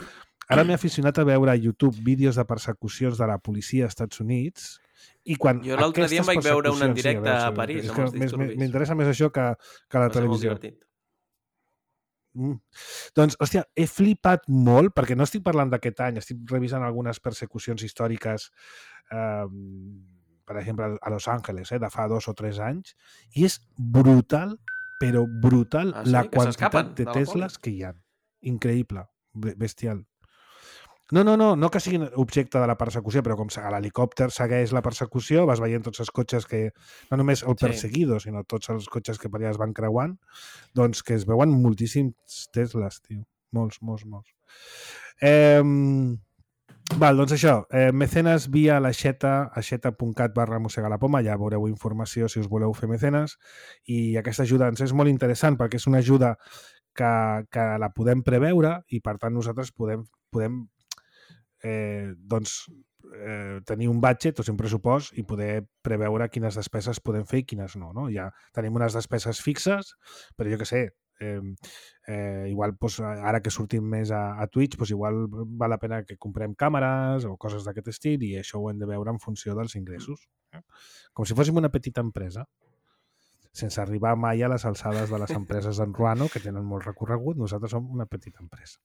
ara m'he aficionat a veure a YouTube vídeos de persecucions de la policia als Estats Units i quan
jo l'altre dia em vaig veure un en directe a París amb els disturbis.
M'interessa més això que la televisió. Doncs, hòstia, he flipat molt, perquè no estic parlant d'aquest any, estic revisant algunes persecucions històriques, per per exemple, a Los Angeles, de fa 2 o 3 anys, i és brutal, però brutal, la quantitat de Teslas que hi ha. Increïble, bestial. No que siguin objecte de la persecució, però com l'helicòpter segueix la persecució, vas veient tots els cotxes que, no només el perseguido, sinó tots els cotxes que per allà es van creuant, doncs que es veuen moltíssims Teslas, tio. Molts. Doncs això, mecenes via aixeta.cat/mossegalapoma, ja veureu informació si us voleu fer mecenes, i aquesta ajuda ens és molt interessant perquè és una ajuda que la podem preveure i per tant nosaltres podem tenir un budget o un pressupost i poder preveure quines despeses podem fer i quines no. Ja tenim unes despeses fixes, però jo què sé, igual ara que sortim més a Twitch, igual val la pena que comprem càmeres o coses d'aquest estil i això ho hem de veure en funció dels ingressos. Com si fóssim una petita empresa, sense arribar mai a les alçades de les empreses d'en Ruano, que tenen molt recorregut. Nosaltres som una petita empresa.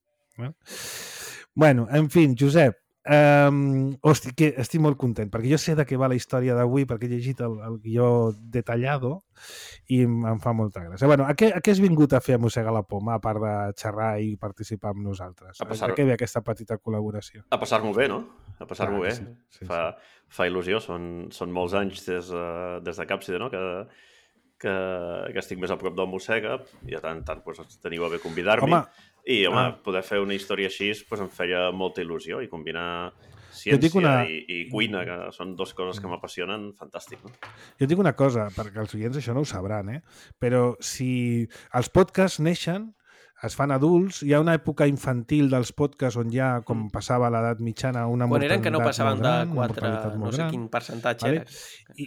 Bueno, en fi, Josep, estic molt content, perquè jo sé de què va la història d'avui, perquè he llegit el guió detallado i em fa molta gràcia. Bueno, a què has vingut a fer a Mossega la Poma, a part de xerrar i participar amb nosaltres? A què ve aquesta petita col·laboració?
A passar-m'ho bé, no? A passar-m'ho bé. Sí. Fa il·lusió, són molts anys des de Càpside, no?, que estic més a prop del Mossega i a tant teniu a bé convidar-m'hi. I, poder fer una història així em feia molta il·lusió i combinar ciència i cuina, que són dues coses que m'apassionen, fantàstic. No?
Jo dic una cosa, perquè els oients això no ho sabran, però si els podcasts neixen, es fan adults, hi ha una època infantil dels podcasts on ja, com passava a l'edat mitjana, una
mortalitat molt gran.
Quan eren
que no passaven de 4, no sé quin percentatge era.
Sí.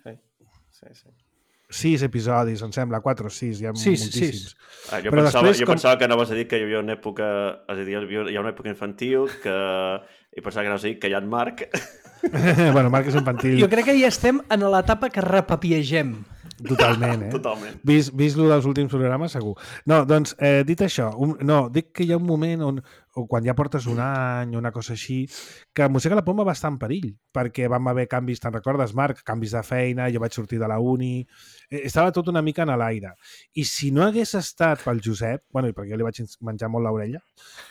6 episodis, em sembla, 4 o 6, hi ha moltíssims.
Jo pensava que anaves a dir que hi havia una època, és a dir, hi ha una època infantil i pensava que anaves a dir que hi ha en Marc.
Bueno, Marc és infantil.
Jo crec que ja estem en l'etapa que repapiegem.
Totalment,
Totalment.
Vist lo dels últims programes, segur. No, doncs, dit això, dic que hi ha un moment on quan ja portes un any o una cosa així, que Mossega la Poma va estar en perill, perquè vam haver canvis, te'n recordes, Marc? Canvis de feina, jo vaig sortir de la uni, estava tot una mica en l'aire. I si no hagués estat pel Josep, bueno, perquè jo li vaig menjar molt l'orella,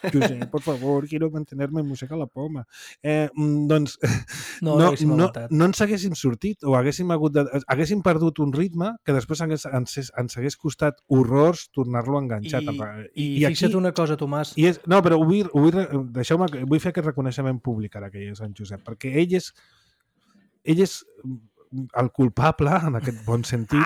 Josep, por favor, quiero mantenerme en Mossega la Poma, doncs no ens haguéssim sortit o haguéssim perdut un ritme que després ens hagués costat horrors tornar-lo a enganxar.
I fixa't una cosa, Tomàs.
No, però vull fer aquest reconeixement públic ara que hi és en Josep, perquè ell és el culpable, en aquest bon sentit,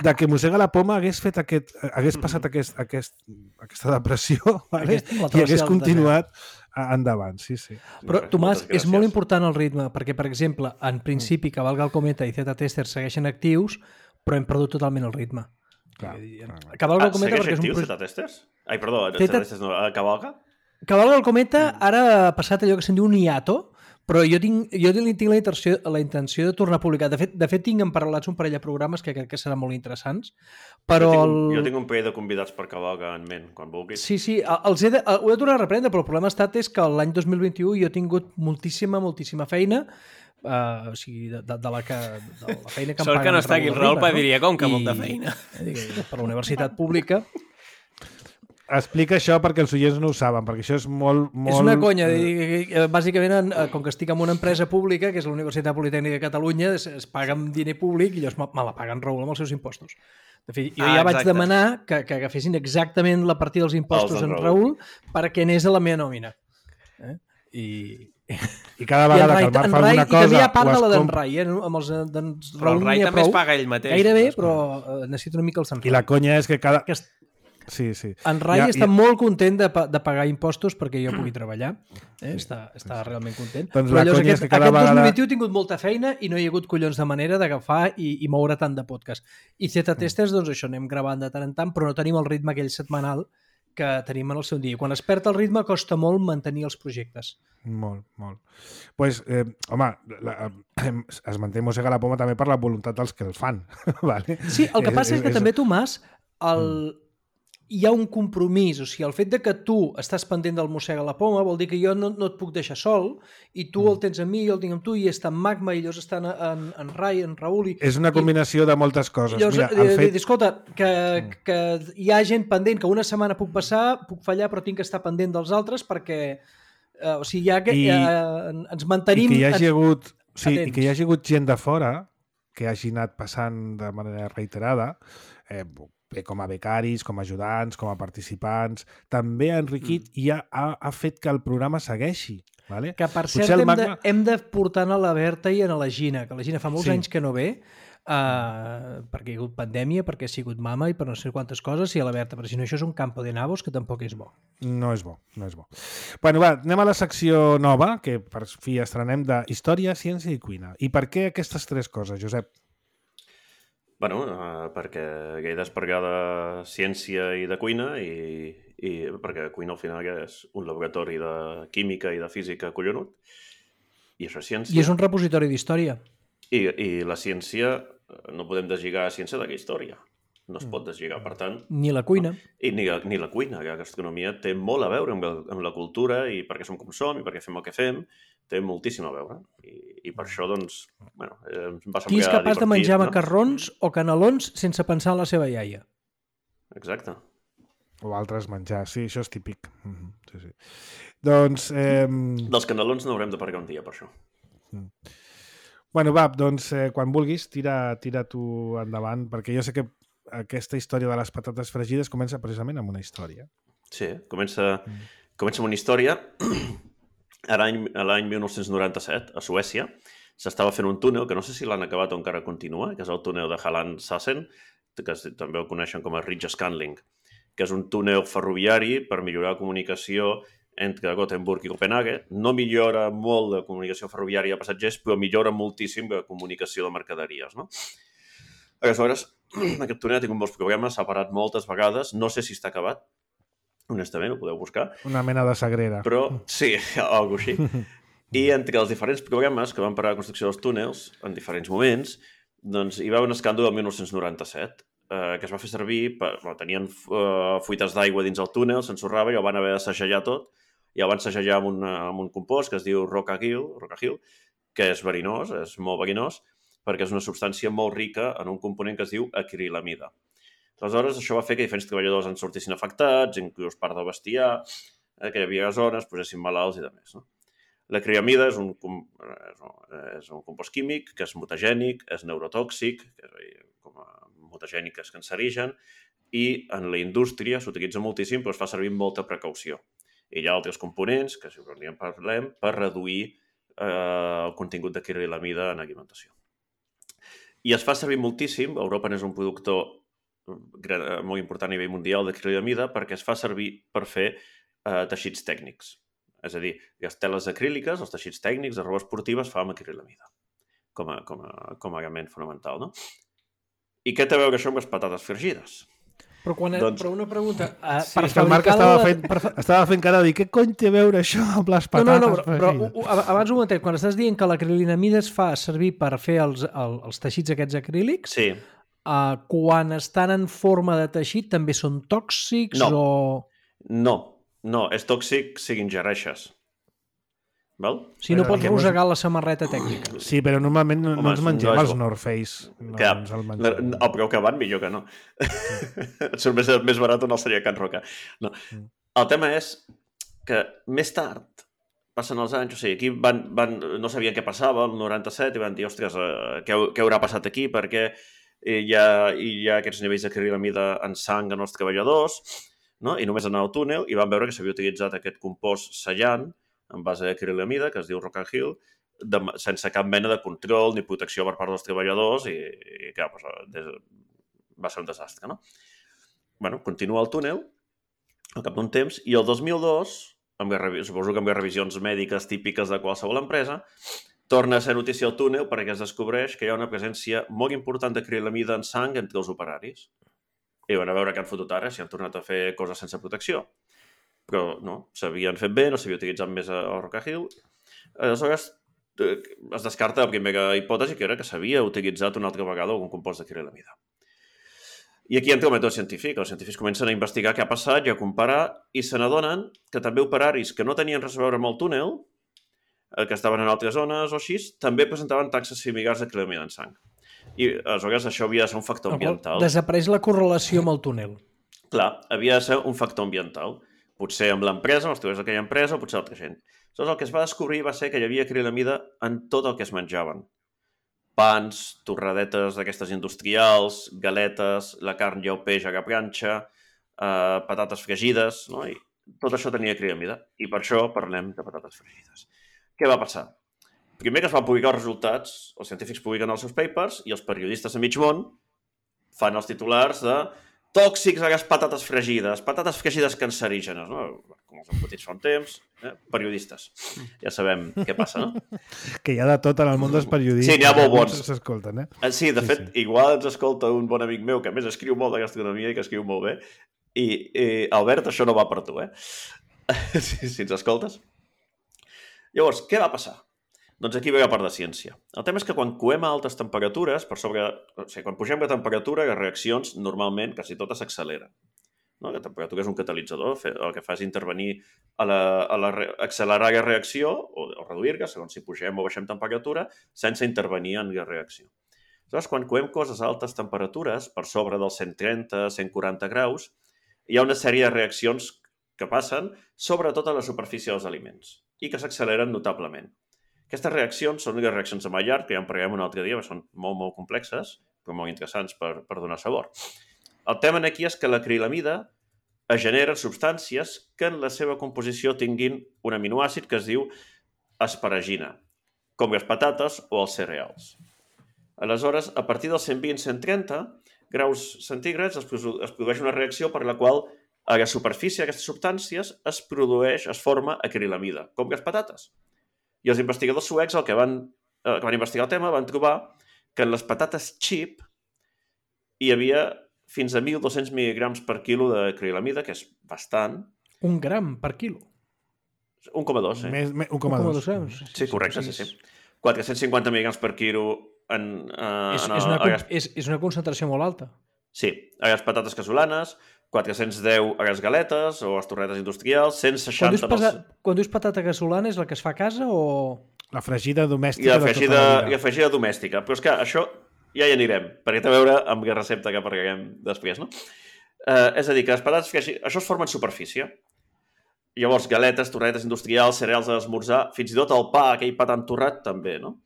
de que Mossega la Poma hagués passat aquesta depressió, vale? I hagués continuat endavant, sí.
Però, Tomàs, és molt important el ritme, perquè, per exemple, en principi, Cavalga el Cometa i Z-Testers segueixen actius, però hem perdut totalment el ritme.
Cavalga
el Cometa
perquè és un... Z-Testers? Ai, perdó, Z-Testers no, Cavalga?
Cavalga el Cometa ara ha passat allò que se'n diu un hiato, però jo tinc la intenció de tornar a publicar. De fet, tinc emparal·lats un parell de programes que crec que seran molt interessants. Però
jo tinc un parell de convidats per Cavalga en ment, quan vulguis.
Sí, ho he de tornar a reprendre, però el problema ha estat que l'any 2021 jo he tingut moltíssima feina, o sigui, de la feina que em paguen.
Sort que no està aquí el Rolpa, diria, com que molta feina.
Per la universitat pública.
Explica això perquè els oients no ho saben, perquè això és molt...
És una conya. Bàsicament, com que estic en una empresa pública, que és la Universitat Politècnica de Catalunya, es paga amb diner públic i llavors me la paguen Raül amb els seus impostos. De fet, jo ja vaig demanar que agafessin exactament la partida dels impostos en Raül perquè anés a la meva nòmina.
I cada vegada que el Marc fa alguna cosa...
I també hi ha part de la d'en Rai, amb els d'en Raül.
Però el Rai també es paga ell mateix.
Gairebé, però necessito una mica el Sant Rai.
I la conya és que cada... Sí.
En Rai està molt content de pagar impostos perquè jo pugui treballar. Està realment content.
Doncs
però llavors aquest 2021 he tingut molta feina i no hi ha hagut collons de manera d'agafar i moure tant de podcast. I Z-Testers, doncs això, anem gravant de tant en tant, però no tenim el ritme aquell setmanal que tenim en el seu dia. Quan es perd el ritme costa molt mantenir els projectes.
Molt. Pues, home, es manté Mossega la Poma també per la voluntat dels que el fan. Vale?
Sí, el que passa és que també, Tomàs, hi ha un compromís, o sigui, el fet de que tu estàs pendent del Mossega la Poma vol dir que jo no et puc deixar sol i tu el tens amb mi, jo el tinc amb tu i està en Magma i llavors estan en Rai, en Raül...
És una combinació de moltes coses.
Llavors, mira, escolta, que hi ha gent pendent, que una setmana puc passar, puc fallar, però tinc que estar pendent dels altres perquè o sigui, ens mantenim...
I que hi hagi hagut gent de fora que hagi anat passant de manera reiterada, com a becaris, com a ajudants, com a participants, també ha enriquit i ha fet que el programa segueixi. Vale?
Que, per cert, hem de portar a la Berta i a la Gina, que la Gina fa molts anys que no ve, perquè hi ha hagut pandèmia, perquè ha sigut mama i per no sé quantes coses, i a la Berta, perquè si no això és un campo de nabos que tampoc és bo.
No és bo. Bueno, va, anem a la secció nova, que per fi estrenem de Història, Ciència i Cuina. I per què aquestes tres coses, Josep?
Bueno, perquè he despergar de ciència i de cuina i perquè cuina al final és un laboratori de química i de física collonut i això és ciència.
I és un repositori d'història.
I la ciència, no podem deslligar la ciència de la història. No es pot deslligar, per tant...
Ni la cuina.
I ni la cuina. La gastronomia té molt a veure amb la cultura i perquè som com som i perquè fem el que fem. Té moltíssim a veure. I per això, doncs, bueno, em va semblar
qui és capaç de menjar macarrons o canelons sense pensar en la seva iaia?
Exacte.
O altres menjar, sí, això és típic. Sí. Doncs...
Dels canelons no haurem de parlar un dia, per això.
Bueno, va, doncs, quan vulguis, tira tu endavant, perquè jo sé que aquesta història de les patates fregides comença precisament amb una història.
Sí, comença amb una història. A l'any 1997, a Suècia, s'estava fent un túnel, que no sé si l'han acabat o encara continua, que és el túnel de Halland-Sassen, que també el coneixen com a Ridge-Scanling, que és un túnel ferroviari per millorar la comunicació entre Gothenburg i Copenhague. No millora molt la comunicació ferroviària de passatgers, però millora moltíssim la comunicació de mercaderies, no? Aleshores, aquest túnel ha tingut molts problemes, s'ha parat moltes vegades, no sé si està acabat, honestament, ho podeu buscar.
Una mena de sagrera.
Però, sí, algo així. I entre els diferents programes que van parar la construcció dels túnels, en diferents moments, doncs hi va haver un escàndol el 1997, que es va fer servir, tenien fuites d'aigua dins el túnel, s'ensorrava i el van haver de segellar tot, i el van segellar amb un compost que es diu Rocahill, que és verinós, és molt verinós, perquè és una substància molt rica en un component que es diu acrilamida. Aleshores, això va fer que diferents treballadors en sortissin afectats, inclús part del bestiar, que hi havia zones, posessin malalts i demés. No? L'acrilamida és un compost químic que és mutagènic, és neurotòxic, com a mutagènic és cancerigen, i en la indústria s'utilitza moltíssim, però es fa servir amb molta precaució. I hi ha altres components, que si en parlem, per reduir el contingut d'acrilamida en alimentació. I es fa servir moltíssim, Europa n'és un productor molt important a nivell mundial d'acrilamida perquè es fa servir per fer teixits tècnics. És a dir, les teles acríliques, els teixits tècnics de roba esportiva es fa amb acrilamida com a element fonamental, no? I què té a veure això amb les patates fregides?
Però una pregunta...
el Marc estava fent cara de dir què cony té a veure això amb les patates fregides?
Però abans un momentet, quan estàs dient que l'acrilamida es fa servir per fer els teixits aquests acrílics,
sí.
Quan estan en forma de teixit també són tòxics
No, és tòxic si ingereixes. Val?
Si no pots rosegar la samarreta tècnica.
Sí, però normalment no ens mengem els North Face.
El preu que van, millor que no. Et surt més barat o no seria Can Roca. No. El tema és que més tard, passen els anys, o sigui, aquí no sabien què passava, el 97, i van dir, ostres, què haurà passat aquí? Perquè hi ha aquests nivells d'acrilamida en sang en els treballadors, no? I només anar al túnel i van veure que s'havia utilitzat aquest compost sellant en base d'acrilamida, que es diu Rocahill, sense cap mena de control ni protecció per part dels treballadors i clar, va ser un desastre, no? Bueno, continua el túnel al cap d'un temps i el 2002, suposo que amb les revisions mèdiques típiques de qualsevol empresa, torna a ser notícia al túnel perquè es descobreix que hi ha una presència molt important d'acrilamida en sang entre els operaris. I van a veure què han fotut ara, si han tornat a fer coses sense protecció. Però no, s'havien fet bé, no s'havia utilitzat més el Rocahill. Aleshores, es descarta la primera hipòtesi, que era que s'havia utilitzat una altra vegada algun compost d'acrilamida. I aquí entra el mètode científic. Els científics comencen a investigar què ha passat i a comparar i se n'adonen que també operaris que no tenien res a veure amb el túnel, que estaven en altres zones o així, també presentaven taxes similars d'acrilamida en sang. I aleshores això havia de ser un factor ambiental.
Desapareix la correlació amb el túnel.
Clar, havia de ser un factor ambiental. Potser amb l'empresa, amb els treballadors d'aquella empresa, o potser altra gent. Aleshores, el que es va descobrir va ser que hi havia acrilamida en tot el que es menjaven. Pans, torradetes d'aquestes industrials, galetes, la carn i el peix a la planxa, patates fregides, no? I tot això tenia acrilamida. I per això parlem de patates fregides. Què va passar? Primer que es van publicar els resultats, els científics publiquen els seus papers i els periodistes a mig món fan els titulars de tòxics a les patates fregides cancerígenes, no? Com els embotits fa un temps, periodistes. Ja sabem què passa, no?
Que hi ha de tot en el món dels periodistes.
Sí, n'hi ha molt bons.
S'escolten,
Sí, de fet, igual ens escolta un bon amic meu que a més escriu molt de gastronomia i que escriu molt bé. I Albert, això no va per tu, si ens escoltes. Llavors, què va passar? Doncs aquí ve la part de ciència. El tema és que quan coem a altes temperatures, quan pugem la temperatura, les reaccions normalment quasi totes s'acceleren. No? La temperatura és un catalitzador, el que fa és intervenir accelerar la reacció o reduir-la, segons si pugem o baixem temperatura, sense intervenir en la reacció. Aleshores, quan coem coses a altes temperatures, per sobre dels 130, 140 graus, hi ha una sèrie de reaccions que passen sobretot a la superfície dels aliments i que s'acceleren notablement. Aquestes reaccions són les reaccions de Maillard, que ja en parlarem un altre dia, perquè són molt, molt complexes, però molt interessants per donar sabor. El tema aquí és que l'acrilamida es genera substàncies que en la seva composició tinguin un aminoàcid que es diu asparagina, com les patates o els cereals. Aleshores, a partir dels 120-130 graus centígrads es produeix una reacció per la qual a la superfície d'aquestes substàncies es forma acrilamida, com les patates. I els investigadors suecs, que van investigar el tema, van trobar que en les patates chip hi havia fins a 1.200 mil·lígrams per quilo d'acrilamida, que és bastant.
1 gram per quilo?
1,2, sí.
1,2
grams.
Sí, correcte, sí. 450 mil·lígrams per quilo
és una concentració molt alta.
Sí, a les patates casolanes, 410 a les galetes o a les torretes industrials, 160...
Quan dius patata casolana és la que es fa a casa o...?
La fregida domèstica.
I la fregida domèstica. Però és que això ja hi anirem, perquè té a veure amb la recepta que parlarem després, no? És a dir, que les patates fregides... Això es forma en superfície. Llavors, galetes, torretes industrials, cereals a l'esmorzar, fins i tot el pa, aquell pa tan torrat, també, no?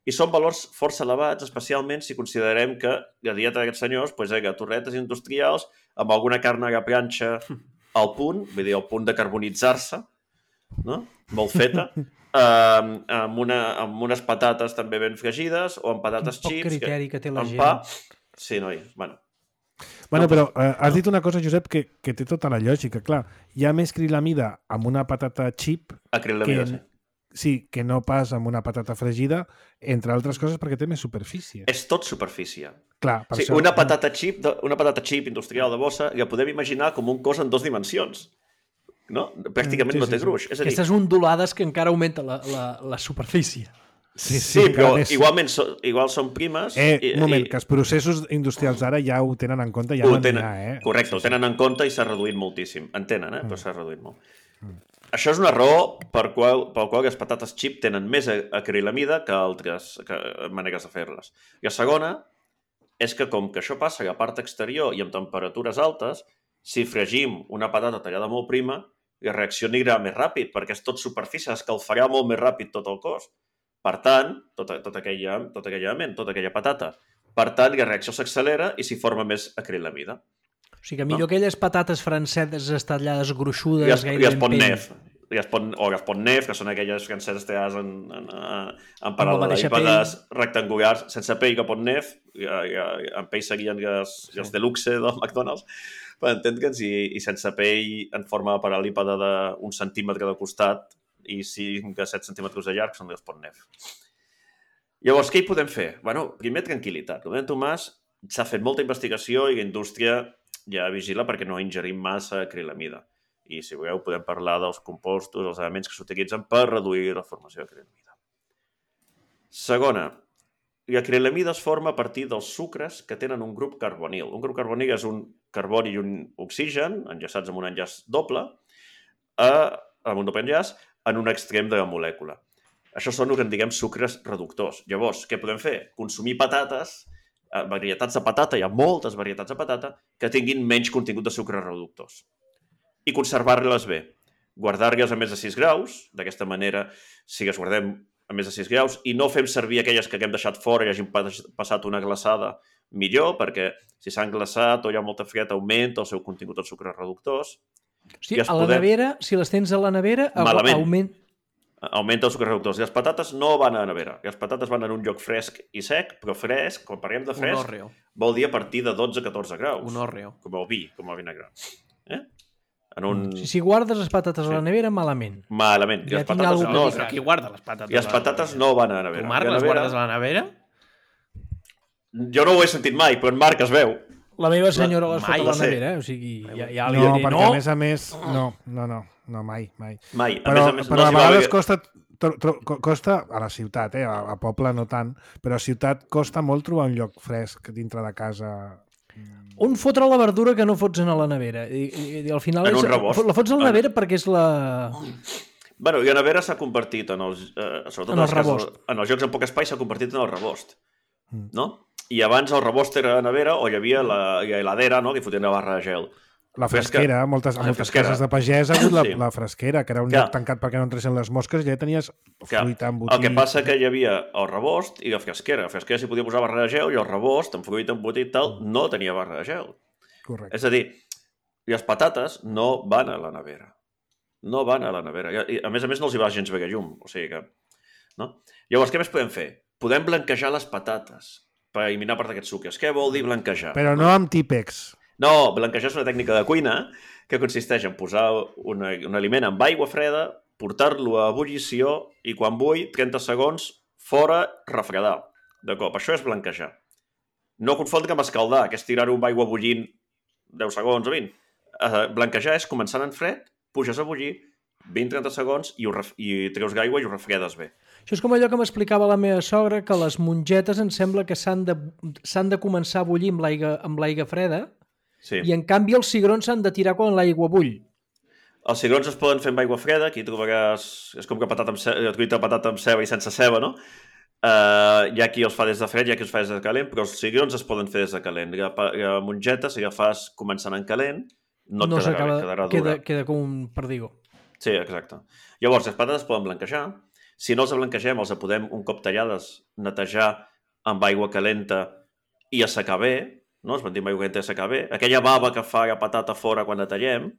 I són valors força elevats, especialment si considerem que la dieta d'aquests senyors era torretes industrials amb alguna carn a la planxa al punt, vull dir, al punt de carbonitzar-se, no? Molt feta, amb unes patates també ben fregides o amb patates xips.
Poc criteri que té la gent.
Pa. Sí, noi, bueno,
però has dit una cosa, Josep, que té tota la lògica. Clar, hi ha més acrilamida amb una patata xip que no pas amb una patata fregida, entre altres coses perquè té més superfície.
És tot superfície.
Clar, per això...
Una patata chip industrial de bossa la podem imaginar com un cos en 2 dimensions. No? Pràcticament no té gruix. És a dir,
aquestes ondulades que encara augmenta la superfície.
Sí, però igual són primes.
Un moment, que els processos industrials ara ja ho tenen en compte.
Correcte, ho tenen en compte i s'ha reduït moltíssim. En tenen, però s'ha reduït molt. Això és una raó pel qual les patates xip tenen més acrilamida que altres maneres de fer-les. I la segona és que com que això passa a la part exterior i amb temperatures altes, si fregim una patata tallada molt prima, la reacció anirà més ràpid, perquè és tot superfície, escalfarà molt més ràpid tot el cos. Per tant, tota aquella patata. Per tant, la reacció s'accelera i s'hi forma més acrilamida.
O sigui que millor aquelles patates franceses estallades gruixudes...
I es pot nef. O es pot nef, que són aquelles franceses tallades en paral·lelepípedes rectangulars, sense pell que pot nef, en pell serien els deluxe del McDonald's, per entendre'ns, i sense pell en forma de paral·lípede d'un centímetre de costat i 5 a 7 centímetres de llarg, són els pot nef. Llavors, què hi podem fer? Bueno, primer, tranquil·litat. Com deia Tomàs, s'ha fet molta investigació i la indústria ja vigila perquè no ingerim massa acrilamida. I, si voleu, podem parlar dels compostos, els elements que s'utilitzen per reduir la formació d'acrilamida. Segona, l'acrilamida es forma a partir dels sucres que tenen un grup carbonil. Un grup carbonil és un carboni i un oxigen, enllaçats amb un enllaç doble, amb un doble enllaç, en un extrem de la molècula. Això són el que en diguem sucres reductors. Llavors, què podem fer? Consumir patates, varietats de patata, hi ha moltes varietats de patata, que tinguin menys contingut de sucres reductors. I conservar-les bé. Guardar-les a més de 6 graus, d'aquesta manera, si les guardem a més de 6 graus, i no fem servir aquelles que haguem deixat fora i hagin passat una glaçada millor, perquè si s'han glaçat o hi ha molta fred, augmenta el seu contingut de sucres reductors.
Hosti, a la nevera, si les tens a la nevera,
augmenta els sucres reductors. Les patates no van a la nevera. Les patates van en un lloc fresc i sec, però fresc, quan parlem de fresc, vol dir a partir de 12-14 graus.
Un hòrreo.
Com el vi, com el vinagre.
Si guardes les patates a la nevera, malament.
Malament.
Ja tinc alguna cosa.
Però qui guarda les patates?
I les patates no van a la nevera.
Tu, Marc, les guardes a la nevera?
Jo no ho he sentit mai, però en Marc es veu.
La meva senyora les fot a la nevera, o sigui...
No, perquè a més, no, mai.
Però
a vegades costa a la ciutat, a poble no tant, però a ciutat costa molt trobar un lloc fresc dintre de casa.
On fotre la verdura que no fots a la nevera? I al final
en un rebost.
La fots a la nevera perquè és la...
Bueno, i la nevera s'ha convertit sobretot en els rebost. En els jocs amb poc espai s'ha convertit en el rebost. No? I abans el rebost era a nevera o hi havia la heladera, no?, que fotien la barra de gel.
La fresquera, moltes cases de pagès ha hagut la fresquera, que era un lloc tancat perquè no entressin les mosques, i ja tenies fruita embotit.
El que passa que hi havia el rebost i la fresquera. La fresquera s'hi podia posar barra de gel i el rebost, amb fruita embotit tal, no tenia barra de gel.
Correcte.
És a dir, les patates no van a la nevera. No van a la nevera. I, a més no els hi va gens bé llum. O sigui que... No? Llavors, què més podem fer? Podem blanquejar les patates per eliminar part d'aquests sucres. Què vol dir blanquejar?
Però no amb típex.
No, blanquejar és una tècnica de cuina que consisteix en posar un aliment amb aigua freda, portar-lo a ebullició i quan bulli, 30 segons, fora, refredar. De cop. Això és blanquejar. No confondre amb escaldar, que és tirar-ho amb aigua bullint 10 segons o 20. Blanquejar és començant en fred, puges a bullir, 20-30 segons i treus l'aigua i ho refredes bé.
Això és com allò que m'explicava la meva sogra, que les mongetes em sembla que s'han de començar a bullir amb l'aigua freda.
Sí.
I en canvi els cigrons s'han de tirar quan l'aigua bull.
Els cigrons es poden fer amb aigua freda, aquí trobaràs... És com que patata amb ceba i sense ceba, no? Hi ha qui els fa des de fred, hi ha qui els fa des de calent, però els cigrons es poden fer des de calent. La mongeta, si la fas començant en calent, no et quedarà dura.
Queda com un perdigó.
Sí, exacte. Llavors, les patates es poden blanquejar. Si no els blanquegem, els podem, un cop tallades, netejar amb aigua calenta i assecar bé. No? Es ventim aigua calenta i assecar bé. Aquella bava que fa la patata fora quan la tallem,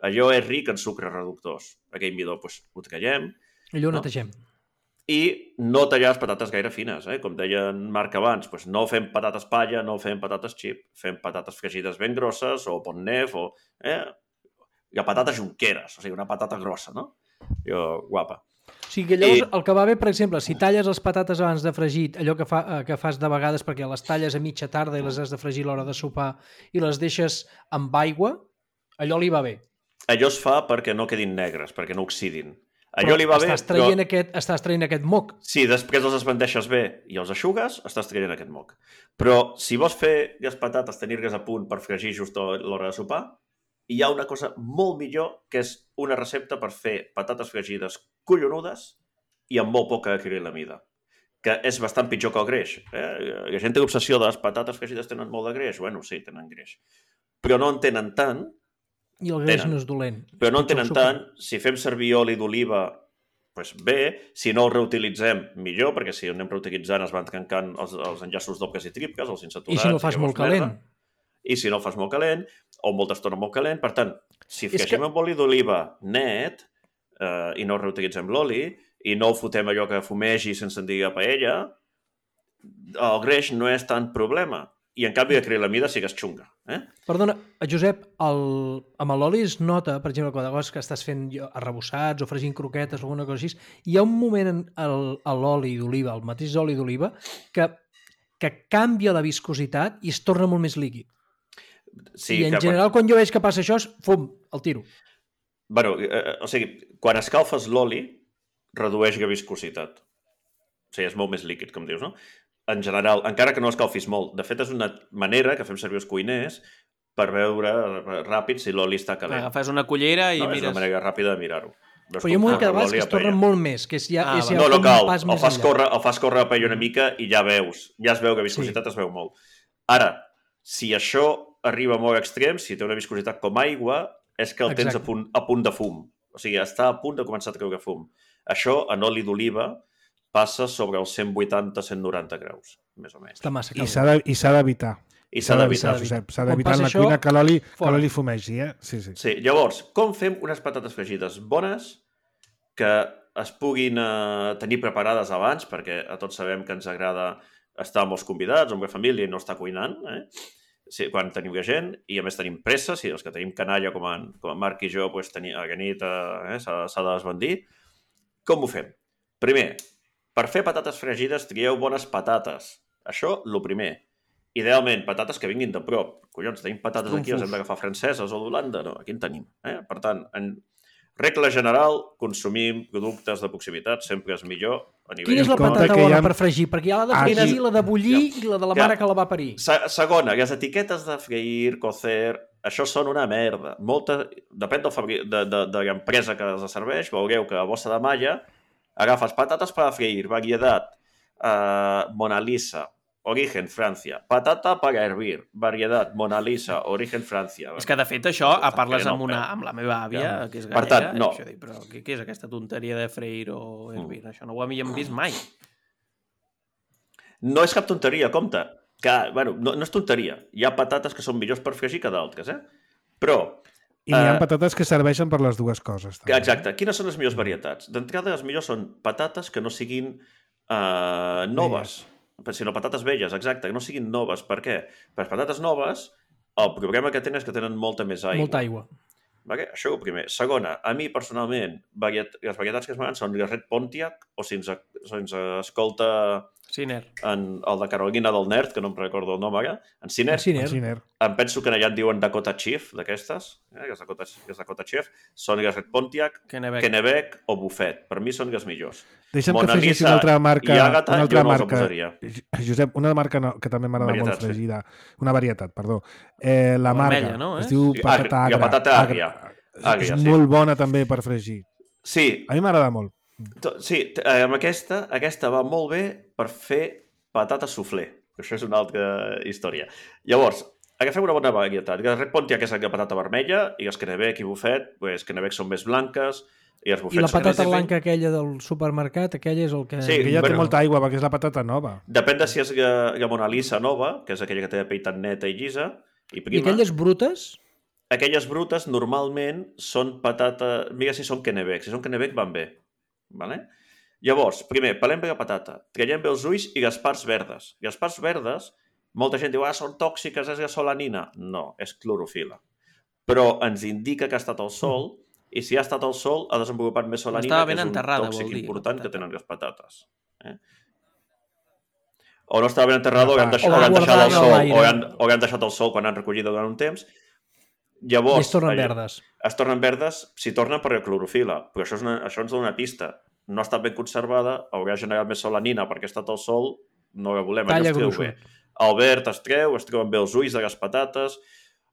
allò és ric en sucres reductors. Aquell midó, doncs, ho tallem.
Allò ho netegem.
I no tallar les patates gaire fines, com deia en Marc abans. Doncs no fem patates palla, no fem patates xip, fem patates fregides ben grosses, o bonnef, o... La patata junqueras, o sigui, una patata grossa, no? Guapa.
O sigui, que llavors el que va bé, per exemple, si talles les patates abans de fregir, allò que fas de vegades perquè les talles a mitja tarda i les has de fregir a l'hora de sopar i les deixes amb aigua, allò li va bé.
Allò es fa perquè no quedin negres, perquè no oxidin. Allò li va bé,
estàs traient aquest moc.
Sí, després els esbandeixes bé i els eixugues, estàs traient aquest moc. Però si vols fer les patates, tenir-les a punt per fregir just a l'hora de sopar, hi ha una cosa molt millor, que és una recepta per fer patates fregides collonudes i amb molt poca acrilamida, que és bastant pitjor que el greix. La gent té l'obsessió de les patates fregides tenen molt de greix. Bueno, sí, tenen greix. Però no en tenen tant.
I el greix no és dolent.
Però no en tenen tant. Si fem servir oli d'oliva, doncs bé. Si no el reutilitzem, millor, perquè si anem reutilitzant es van trencant els enllaços dobles i triples, els insaturats...
I si no fas molt calent.
I si no fas molt calent, o molta estona molt calent. Per tant, si fregim amb oli d'oliva net i no reutilitzem l'oli i no ho fotem allò que fumegi sense en dir a paella, el greix no és tant problema. I en canvi l'acrilamida sí que és xunga.
Perdona, Josep, amb l'oli es nota, per exemple, quan que estàs fent arrebossats o fregint croquetes o alguna cosa així, hi ha un moment a l'oli d'oliva, el mateix oli d'oliva, que canvia la viscositat i es torna molt més líquid. Sí, i en general, quan jo veig que passa això, fum, el tiro.
Bueno, o sigui, quan escalfes l'oli, redueix la viscositat. O sigui, és molt més líquid, com dius, no? en general, encara que no escalfis molt. De fet, és una manera que fem servir els cuiners per veure ràpid si l'oli està calent.
Agafes una cullera i mires...
És una manera ràpida de mirar-ho.
Però hi ha un moment que de vegades que es tornen molt més, que és ja
no cal, el fas córrer a paella una mica i ja veus, ja es veu que viscositat es veu molt. Ara, si això arriba molt extrem, si té una viscositat com aigua, és que el tens a punt de fum. O sigui, està a punt de començar a treure fum. Això, en oli d'oliva, passa sobre els 180-190 graus, més o menys.
Està massa
calent. I s'ha d'evitar.
S'ha d'evitar
en la cuina que l'oli fumegi, Sí.
Llavors, com fem unes patates fregides bones que es puguin tenir preparades abans, perquè a tots sabem que ens agrada estar amb els convidats, amb la família i no estar cuinant, sí, quan tenim gent, i a més tenim pressa, si els que tenim canalla com en Marc i jo, pues, a la nit s'ha de desbandir. Com ho fem? Primer, per fer patates fregides trieu bones patates. Això, el primer. Idealment, patates que vinguin de prop. Collons, tenim patates aquí, les hem d'agafar franceses o d'Holanda? No, aquí en tenim. Per tant, en regla general, consumim productes de proximitat, sempre és millor a nivell...
Quina és la patata bona per fregir? Perquè hi ha la de freir, la de bullir i la de la mare que la va parir.
Segona, les etiquetes de freir, cocer, això són una merda. Depèn de l'empresa que els serveix, veureu que a bossa de malla agafes patates para freír, variedad, Mona Lisa, origen Francia, patata para hervir, variedad, Mona Lisa, origen Francia.
És que, de fet, això, parles amb la meva àvia, que és gallega,
per tant, no.
Dic, però què és aquesta tonteria de freir o hervir? Això no ho havíem vist mai.
No és cap tonteria, compte. Que, bueno, no és tonteria. Hi ha patates que són millors per fregir que d'altres, Però...
I hi ha patates que serveixen per les dues coses.
També. Exacte. Quines són les millors varietats? D'entrada, les millors són patates que no siguin noves. Sinó patates velles, exacte, que no siguin noves. Per què? Per les patates noves, el problema que tenen és que tenen molta més aigua.
Molta aigua.
Vale? Això ho primer. Segona, a mi, personalment, les varietats que es m'agraden són el Red Pontiac, o si ens escolta...
Siner.
El de Carolina del Nerd, que no em recordo el nom ara, en Siner. Em penso que allà en diuen Dakota Chief, d'aquestes, les Dakota Chief, són les Red Pontiac, Kennebec o Buffet. Per mi són les millors.
Deixa'm que afegeixi una altra marca.
I Àgata, jo no els posaria.
Josep, una marca que també m'agrada molt fregida. Una varietat, perdó. La marca,
no,
es diu patata agra.
La patata àgria.
És molt bona també per fregir.
Sí.
A mi m'agrada molt.
Sí, amb aquesta va molt bé per fer patata soufflé. Això és una altra història. Llavors, agafem una bona varietat. La Red Pontiac és la patata vermella i els Kennebec i Buffet, pues, Kennebec són més blanques i els Buffets...
I la patata blanca aquella del supermercat, aquella és el que...
Sí, que ja té molta aigua perquè és la patata nova.
Depèn de si és la Mona Lisa nova, que és aquella que té la pell tan neta i llisa, i prima.
I aquelles brutes?
Aquelles brutes normalment són patata... Mira si són Kennebec. Si són Kennebec van bé. Vale? Llavors, primer, pelem bé la patata, traiem bé els ulls i les parts verdes. Les parts verdes, molta gent diu, són tòxiques, és la solanina. No, és clorofila. Però ens indica que ha estat al sol, i si ha estat al sol ha desenvolupat més solanina, que és un tòxic important que tenen les patates. O no estava ben enterrada, o han deixat al sol, o han deixat al sol quan han recollit durant un temps. Llavors,
es tornen verdes.
Es tornen verdes si tornen per la clorofila, però això ens dona una pista. No ha estat ben conservada, haurà generat més solanina perquè ha estat al sol, no la volem,
allò
es treu bé. El verd es treuen bé els ulls de les patates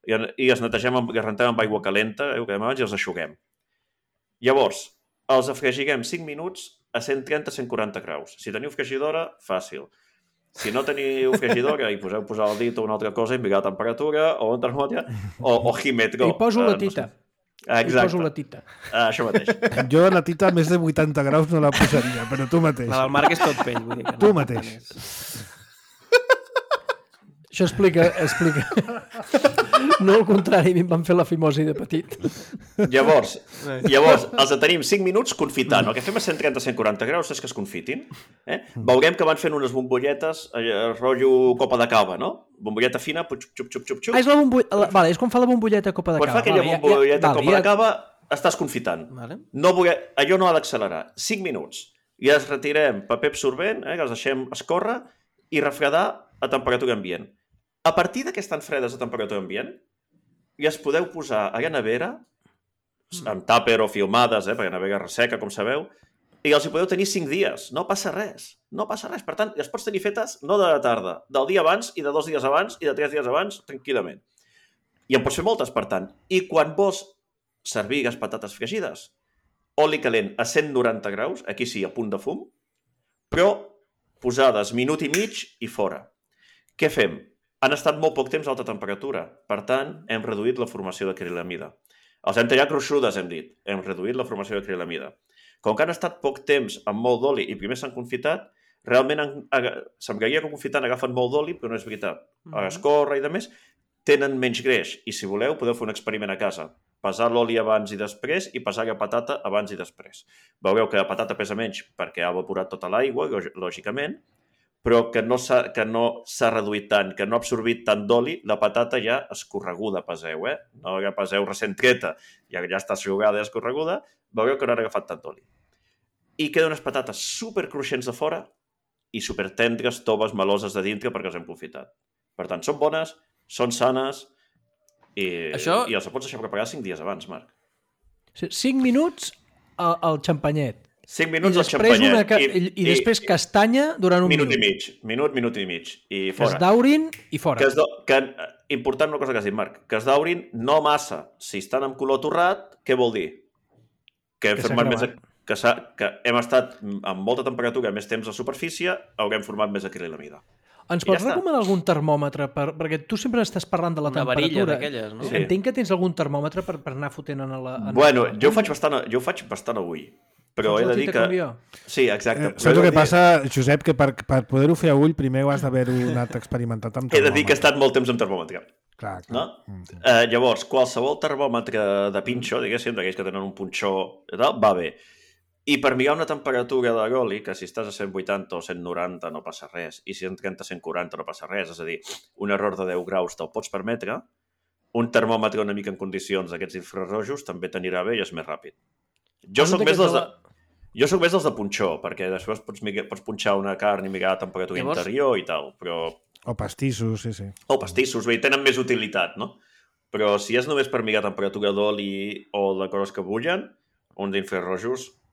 i es netegem, les rentem amb aigua calenta, i els eixuguem. Llavors, els afregirem 5 minuts a 130-140 graus. Si teniu fregidora, fàcil. Si no teniu fregidora i poseu posar el dit o una altra cosa i mirar la temperatura o un termòmetre o Jimetro.
I poso la tita.
Exacte.
I poso la tita.
Això mateix.
Jo la tita a més de 80 graus no la posaria, però tu mateix.
La del Marc és tot pell. Vull dir que
tu mateix.
Això explica. No al contrari, a mi em van fer la fimosi de petit.
Llavors els tenim 5 minuts confitant. El que fem a 130-140 graus és que es confitin. Veurem que van fent unes bombolletes, rotllo copa de cava, no? Bombolleta fina, xup.
És la bombolleta... Vale, és com fa la bombolleta copa de cava.
Quan fa aquella bombolleta copa de cava, estàs confitant. Allò no ha d'accelerar. 5 minuts. I els retirem paper absorbent, que els deixem escórrer i refredar a temperatura ambient. A partir que estan fredes a temperatura ambient, i es podeu posar a la nevera, amb tàper o filmades, perquè la nevera resseca, com sabeu, i els hi podeu tenir 5 dies. No passa res. No passa res. Per tant, les pots tenir fetes no de la tarda, del dia abans i de 2 dies abans i de 3 dies abans, tranquil·lament. I en pots fer moltes, per tant. I quan vols servir les patates fregides, oli calent a 190 graus, aquí sí, a punt de fum, però posades minut i mig i fora. Què fem? Han estat molt poc temps a alta temperatura. Per tant, hem reduït la formació d'acrilamida. Els hem tallat gruixudes, hem dit. Hem reduït la formació d'acrilamida. Com que han estat poc temps amb molt d'oli i primer s'han confitat, realment semblaria que confitant agafen molt d'oli, però no és veritat. A l'escorra i demés tenen menys greix. I si voleu, podeu fer un experiment a casa. Pesar l'oli abans i després i pesar la patata abans i després. Veureu que la patata pesa menys perquè ha evaporat tota l'aigua, lògicament, però que no s'ha reduït tant, que no ha absorbit tant d'oli, la patata ja escorreguda peseu, No la peseu recent treta, ja està jugada i escorreguda, veureu que no han agafat tant d'oli. I queden unes patates supercruixents de fora i supertendres, toves, meloses de dintre perquè els hem confitat. Per tant, són bones, són sanes i els pots deixar preparar 5 dies abans, Marc.
5 minuts al xampanyet.
5 minuts al xampanyet.
I després castanya durant un minut.
Minut i mig. I fora.
Que es daurin i fora.
Important una cosa que has dit, Marc, que es daurin no massa. Si estan amb color torrat, què vol dir? Que hem estat amb molta temperatura, més temps a superfície, haurem format més acrilamida.
Ens pots recomanar algun termòmetre? Perquè tu sempre estàs parlant de la temperatura.
Una varilla d'aquelles, no?
Sí. Entenc que tens algun termòmetre per anar fotent en la...
Bueno, jo ho faig bastant avui. Però he de dir que... Sí, exacte.
Saps el que passa, Josep, que per poder-ho fer a ull primer ho has d'haver-ho anat experimentat amb termòmetre.
He de dir que he estat molt temps amb termòmetre.
Clar.
No? Llavors, qualsevol termòmetre de pinxo, diguéssim, d'aquells que tenen un punxó, va bé. I per mirar una temperatura de l'oli, que si estàs a 180 o 190 no passa res, i si 130 o 140 no passa res, és a dir, un error de 10 graus te'l pots permetre, un termòmetre una mica en condicions d'aquests infrarrojos també t'anirà bé i és més ràpid. Jo soc més dels de punxó, perquè després pots punxar una carn i mirar la temperatura interior i tal, però...
O pastissos, sí.
O pastissos, bé, tenen més utilitat, no? Però si és només per mirar temperatura d'oli o de coses que bullen, un d'infrarrojos,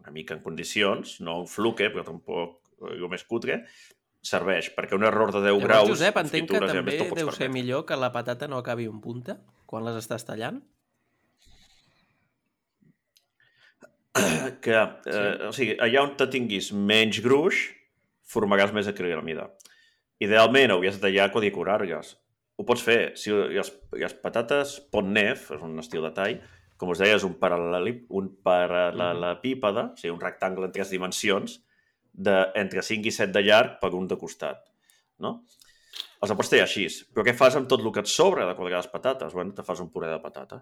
una mica en condicions, no un fluke, però tampoc el més cutre, serveix, perquè un error de 10 graus...
Josep, entenc que també deu ser millor que la patata no acabi en punta quan les estàs tallant?
O sigui, allà on te tinguis menys gruix, formaràs més acrilamida. Idealment, hauries de tallar i decorar-les. Ho pots fer. Si les patates pont nef, és un estil de tall, com us deia, és un paral·lelepípede, o sigui, un rectangle en 3 dimensions, entre 5 i 7 de llarg per un de costat. No? Els pots tallar així. Però què fas amb tot el que et sobra de quadrar les patates? Bueno, te fas un puré de patata.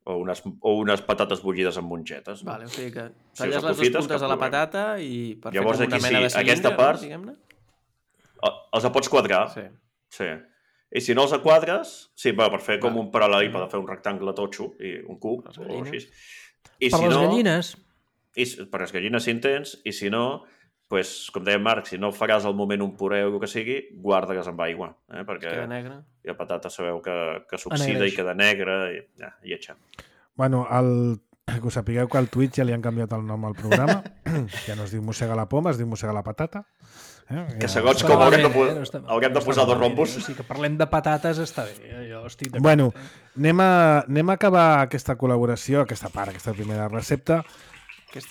O unes patates bullides amb mongetes.
Vale, o sigui que talles les dues puntes de la patata i per fer com una mena de cilindre,
aquesta part, diguem-ne? Els pots quadrar. Sí. I si no els quadres, per fer com un paral·lelepípede, fer un rectangle totxo i un cub o així.
Per les gallines.
Per les gallines si en tens, i si no, com deia Marc, si no faràs al moment un puré o el que sigui, guarda-les amb aigua. Perquè la patata sabeu que s'oxida i queda negra i lletja.
Bueno, que us sapigueu que al Twitch ja li han canviat el nom al programa. Ja no es diu Mossega la poma, es diu Mossega la patata.
Que segons com haurem de posar dos rombos.
O sigui que parlem de patates està bé. Jo estic d'acord.
Bueno, anem a acabar aquesta col·laboració, aquesta primera recepta.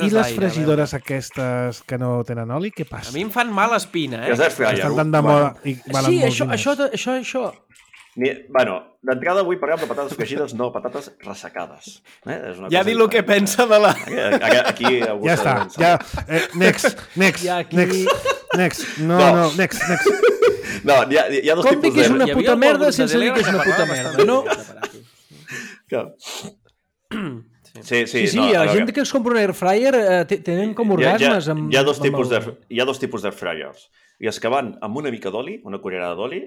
I les fregidores aquestes que no tenen oli, què passa?
A mi em fan mala espina,
Estan tan de moda i valen molts diners.
Això.
D'entrada avui parlem de patates fregides, no patates ressecades.
Ja di el que pensa de la...
Aquí
ja està, ja. Next. No, next.
No, hi ha dos
tipus de... Com dic que és una puta merda sense dir que és una puta merda, no?
Sí,
la gent que es compra un airfryer tenen com orgasmes amb...
Hi ha dos tipus d'airfryers. I els que van amb una mica d'oli, una cullerada d'oli,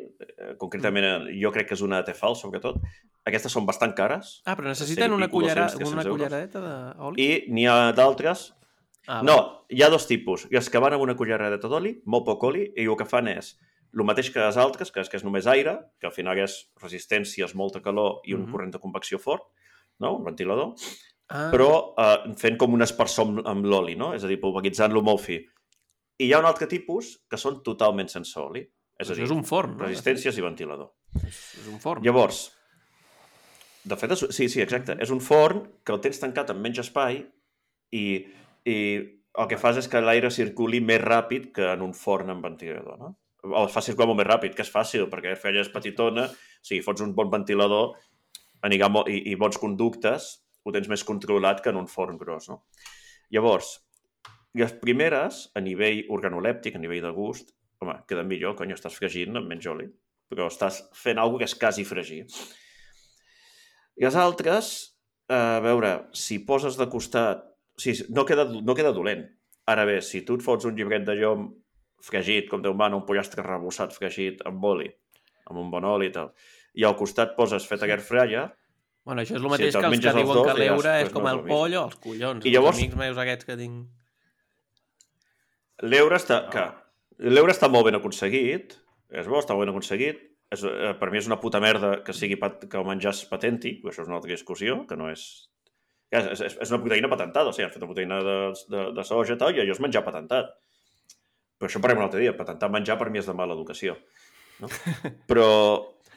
concretament jo crec que és una Tefal, sobretot, aquestes són bastant cares.
Però necessiten una culleradeta d'oli?
I n'hi ha d'altres... No, hi ha dos tipus. I els que van amb una culleradeta d'oli, molt poc oli, i el que fan és el mateix que les altres, que és només aire, que al final és resistències, molta calor i un corrent de convecció fort, no? Un ventilador. però fent com un espersor amb l'oli, no? És a dir, pulveritzant-lo molt fi. I hi ha un altre tipus que són totalment sense oli. És a dir,
és un forn, no?
Resistències i ventilador.
És un forn.
Llavors, de fet, sí, exacte. És un forn que el tens tancat amb menys espai i el que fas és que l'aire circuli més ràpid que en un forn amb ventilador, no? O es fa circular molt més ràpid, que és fàcil, perquè Airfryer és petitona, si fots un bon ventilador i bons conductes, ho tens més controlat que en un forn gros, no? Llavors, les primeres, a nivell organolèptic, a nivell de gust, home, queden millor, cony, estàs fregint amb menys oli, però estàs fent alguna que és quasi fregir. I les altres, a veure, si poses de costat... O sigui, no queda dolent. Ara bé, si tu et fots un llibret de llom fregit, com Déu mana, un pollastre rebossat fregit amb oli, amb un bon oli i tal, i al costat poses fet a Airfryer...
Bueno, això és el mateix que els que diuen que l'eure és com el poll o els collons. I llavors... Els amics meus aquests que tinc...
L'eure està molt ben aconseguit, és bo, està molt ben aconseguit. Per mi és una puta merda que el menjar és patèntic, això és una altra discussió, que no és... És una proteïna patentada, o sigui, han fet una proteïna de soja i tal, i allò és menjar patentat. Però això parlem un altre dia, patentar menjar per mi és de mala educació. No? Però...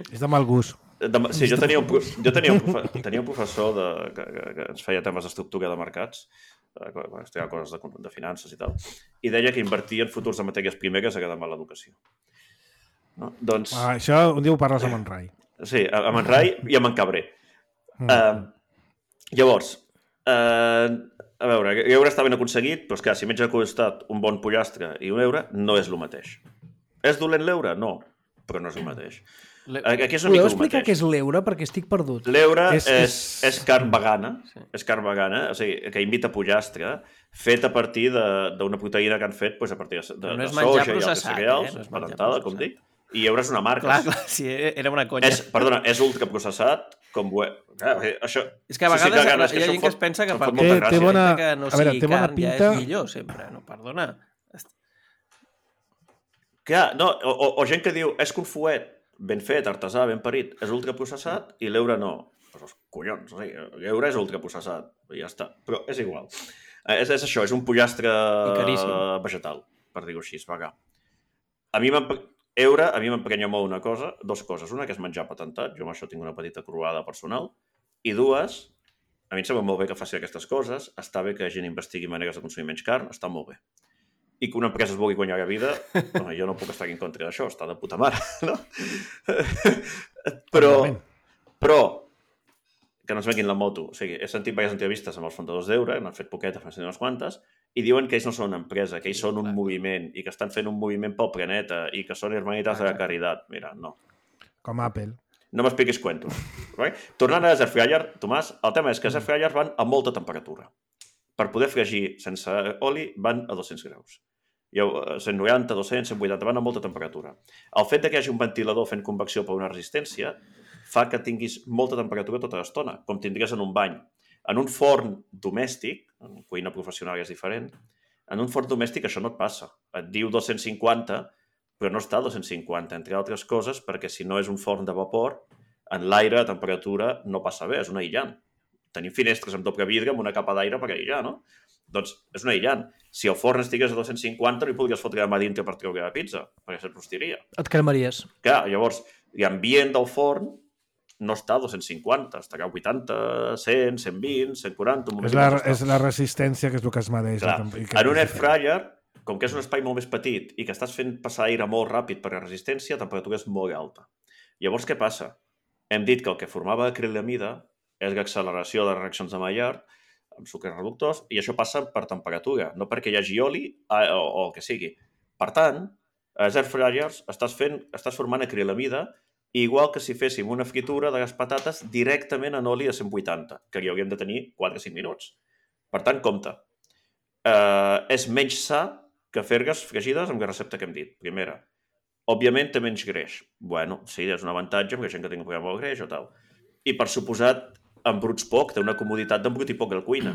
És de mal gust.
Sí, jo tenia un professor que ens feia temes d'estructura de mercats, quan estudiava coses de finances i tal, i deia que invertir en futurs de matèries primeres era de mala educació. No? Doncs...
Això un dia ho parles amb en Rai.
Sí, amb en Rai i amb en Cabré. Llavors, a veure, l'eure està ben aconseguit, però és que si menys ha costat un bon pollastre i un eure, no és el mateix. És dolent l'eure? No, però no és el mateix.
Aquí és podeu explicar què és l'eure? Perquè estic perdut.
L'eure és carn vegana, o sigui, que imita pollastre, fet a partir d'una proteïna que han fet a partir de soja i altres cereals, patentada, com dic, i eure és una marca.
Clar, sí, era una conya.
Perdona, és ultraprocessat, com... Això...
És que a vegades hi ha gent que es pensa que per molta gràcia que no sigui carn ja és millor, sempre. No, perdona.
Clar, no, o gent que diu, és que un fuet ben fet, artesà, ben parit, és ultraprocessat i l'eure no. Doncs collons, o sigui, l'eure és ultraprocessat, i ja està. Però és igual. És això, és un pollastre vegetal, per dir-ho així, vegà. A mi m'emprenya molt dues coses. Una, que és menjar patentat, jo amb això tinc una petita croada personal, i dues, a mi em sembla molt bé que faci aquestes coses, està bé que la gent investigui maneres de consumir menys carn, està molt bé. I que una empresa es vulgui guanyar la vida, jo no puc estar en contra d'això, està de puta mare, no? Però, que no es venguin la moto. O sigui, he sentit diverses entrevistes amb els fundadors d'Eure, n'han fet poquetes, n'han fet unes quantes, i diuen que ells no són una empresa, que ells són un moviment, i que estan fent un moviment pel planeta, i que són hermanitats de la caritat. Mira, no.
Com Apple.
No m'expliquis cuentos. Tornant a les Airfryer, Tomàs, el tema és que les Airfryer van a molta temperatura. Per poder fregir sense oli van a 200 graus. 190, 200, 180, van a molta temperatura. El fet que hi hagi un ventilador fent convecció per una resistència fa que tinguis molta temperatura tota l'estona, com tindries en un bany. En un forn domèstic, en cuina professional és diferent, en un forn domèstic això no et passa. Et diu 250, però no està a 250, entre altres coses, perquè si no és un forn de vapor, en l'aire a temperatura no passa bé, és un aïllant. Tenim finestres amb doble vidre amb una capa d'aire per aïllar, no? Doncs és un aïllant. Si el forn estigués a 250, no hi podries fotre la mà dintre per treure la pizza, perquè se't rostiria.
Et cremaries.
Clar, llavors, l'ambient del forn no està a 250, estarà a 80, 100, 120, 140...
És la resistència que és el que es mereix.
Clar, en un Airfryer, com que és un espai molt més petit i que estàs fent passar aire molt ràpid per la resistència, la temperatura és molt alta. Llavors, què passa? Hem dit que el que formava acrilamida és l'acceleració de les reaccions de Maillard amb sucres reductors, i això passa per temperatura, no perquè hi hagi oli o el que sigui. Per tant, a les Airfryers estàs formant acrilamida, igual que si féssim una fritura de les patates directament en oli a 180, que hi hauríem de tenir 4 o 5 minuts. Per tant, compte. És menys sa que fer-les fregides amb la recepta que hem dit. Primera. Òbviament té menys greix. Bueno, sí, és un avantatge perquè gent que tingui un problema amb el greix o tal. I per suposat, embruts poc, té una comoditat d'embrutir poc a la cuina.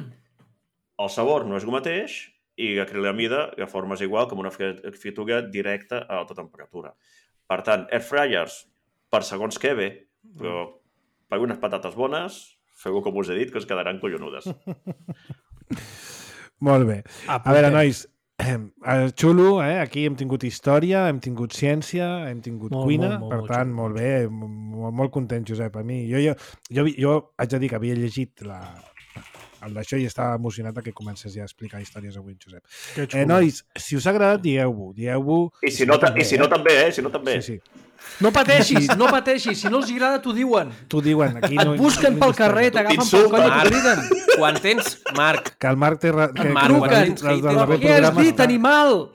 El sabor no és el mateix i l'acrilamida la formes igual com una fritura directa a alta temperatura. Per tant, Airfryers, per segons què bé, però per unes patates bones, Feu-ho com us he dit, que us quedaran collonudes.
Molt bé. A veure, nois, xulo, aquí hem tingut història, hem tingut ciència, hem tingut cuina, per tant, molt bé, molt content, Josep. A mi, jo haig de dir que havia llegit el d'això i estava emocionat que comences ja a explicar històries avui, Josep. Nois, si us ha agradat, dieu-ho.
I si no també.
Sí.
No pateixis, si no els agrada t'ho diuen.
T'ho diuen. Aquí
et busquen pel carrer, t'agafen pel coll i t'ho criden.
Quan tens, Marc.
Que el Marc té...
Què has dit, animal?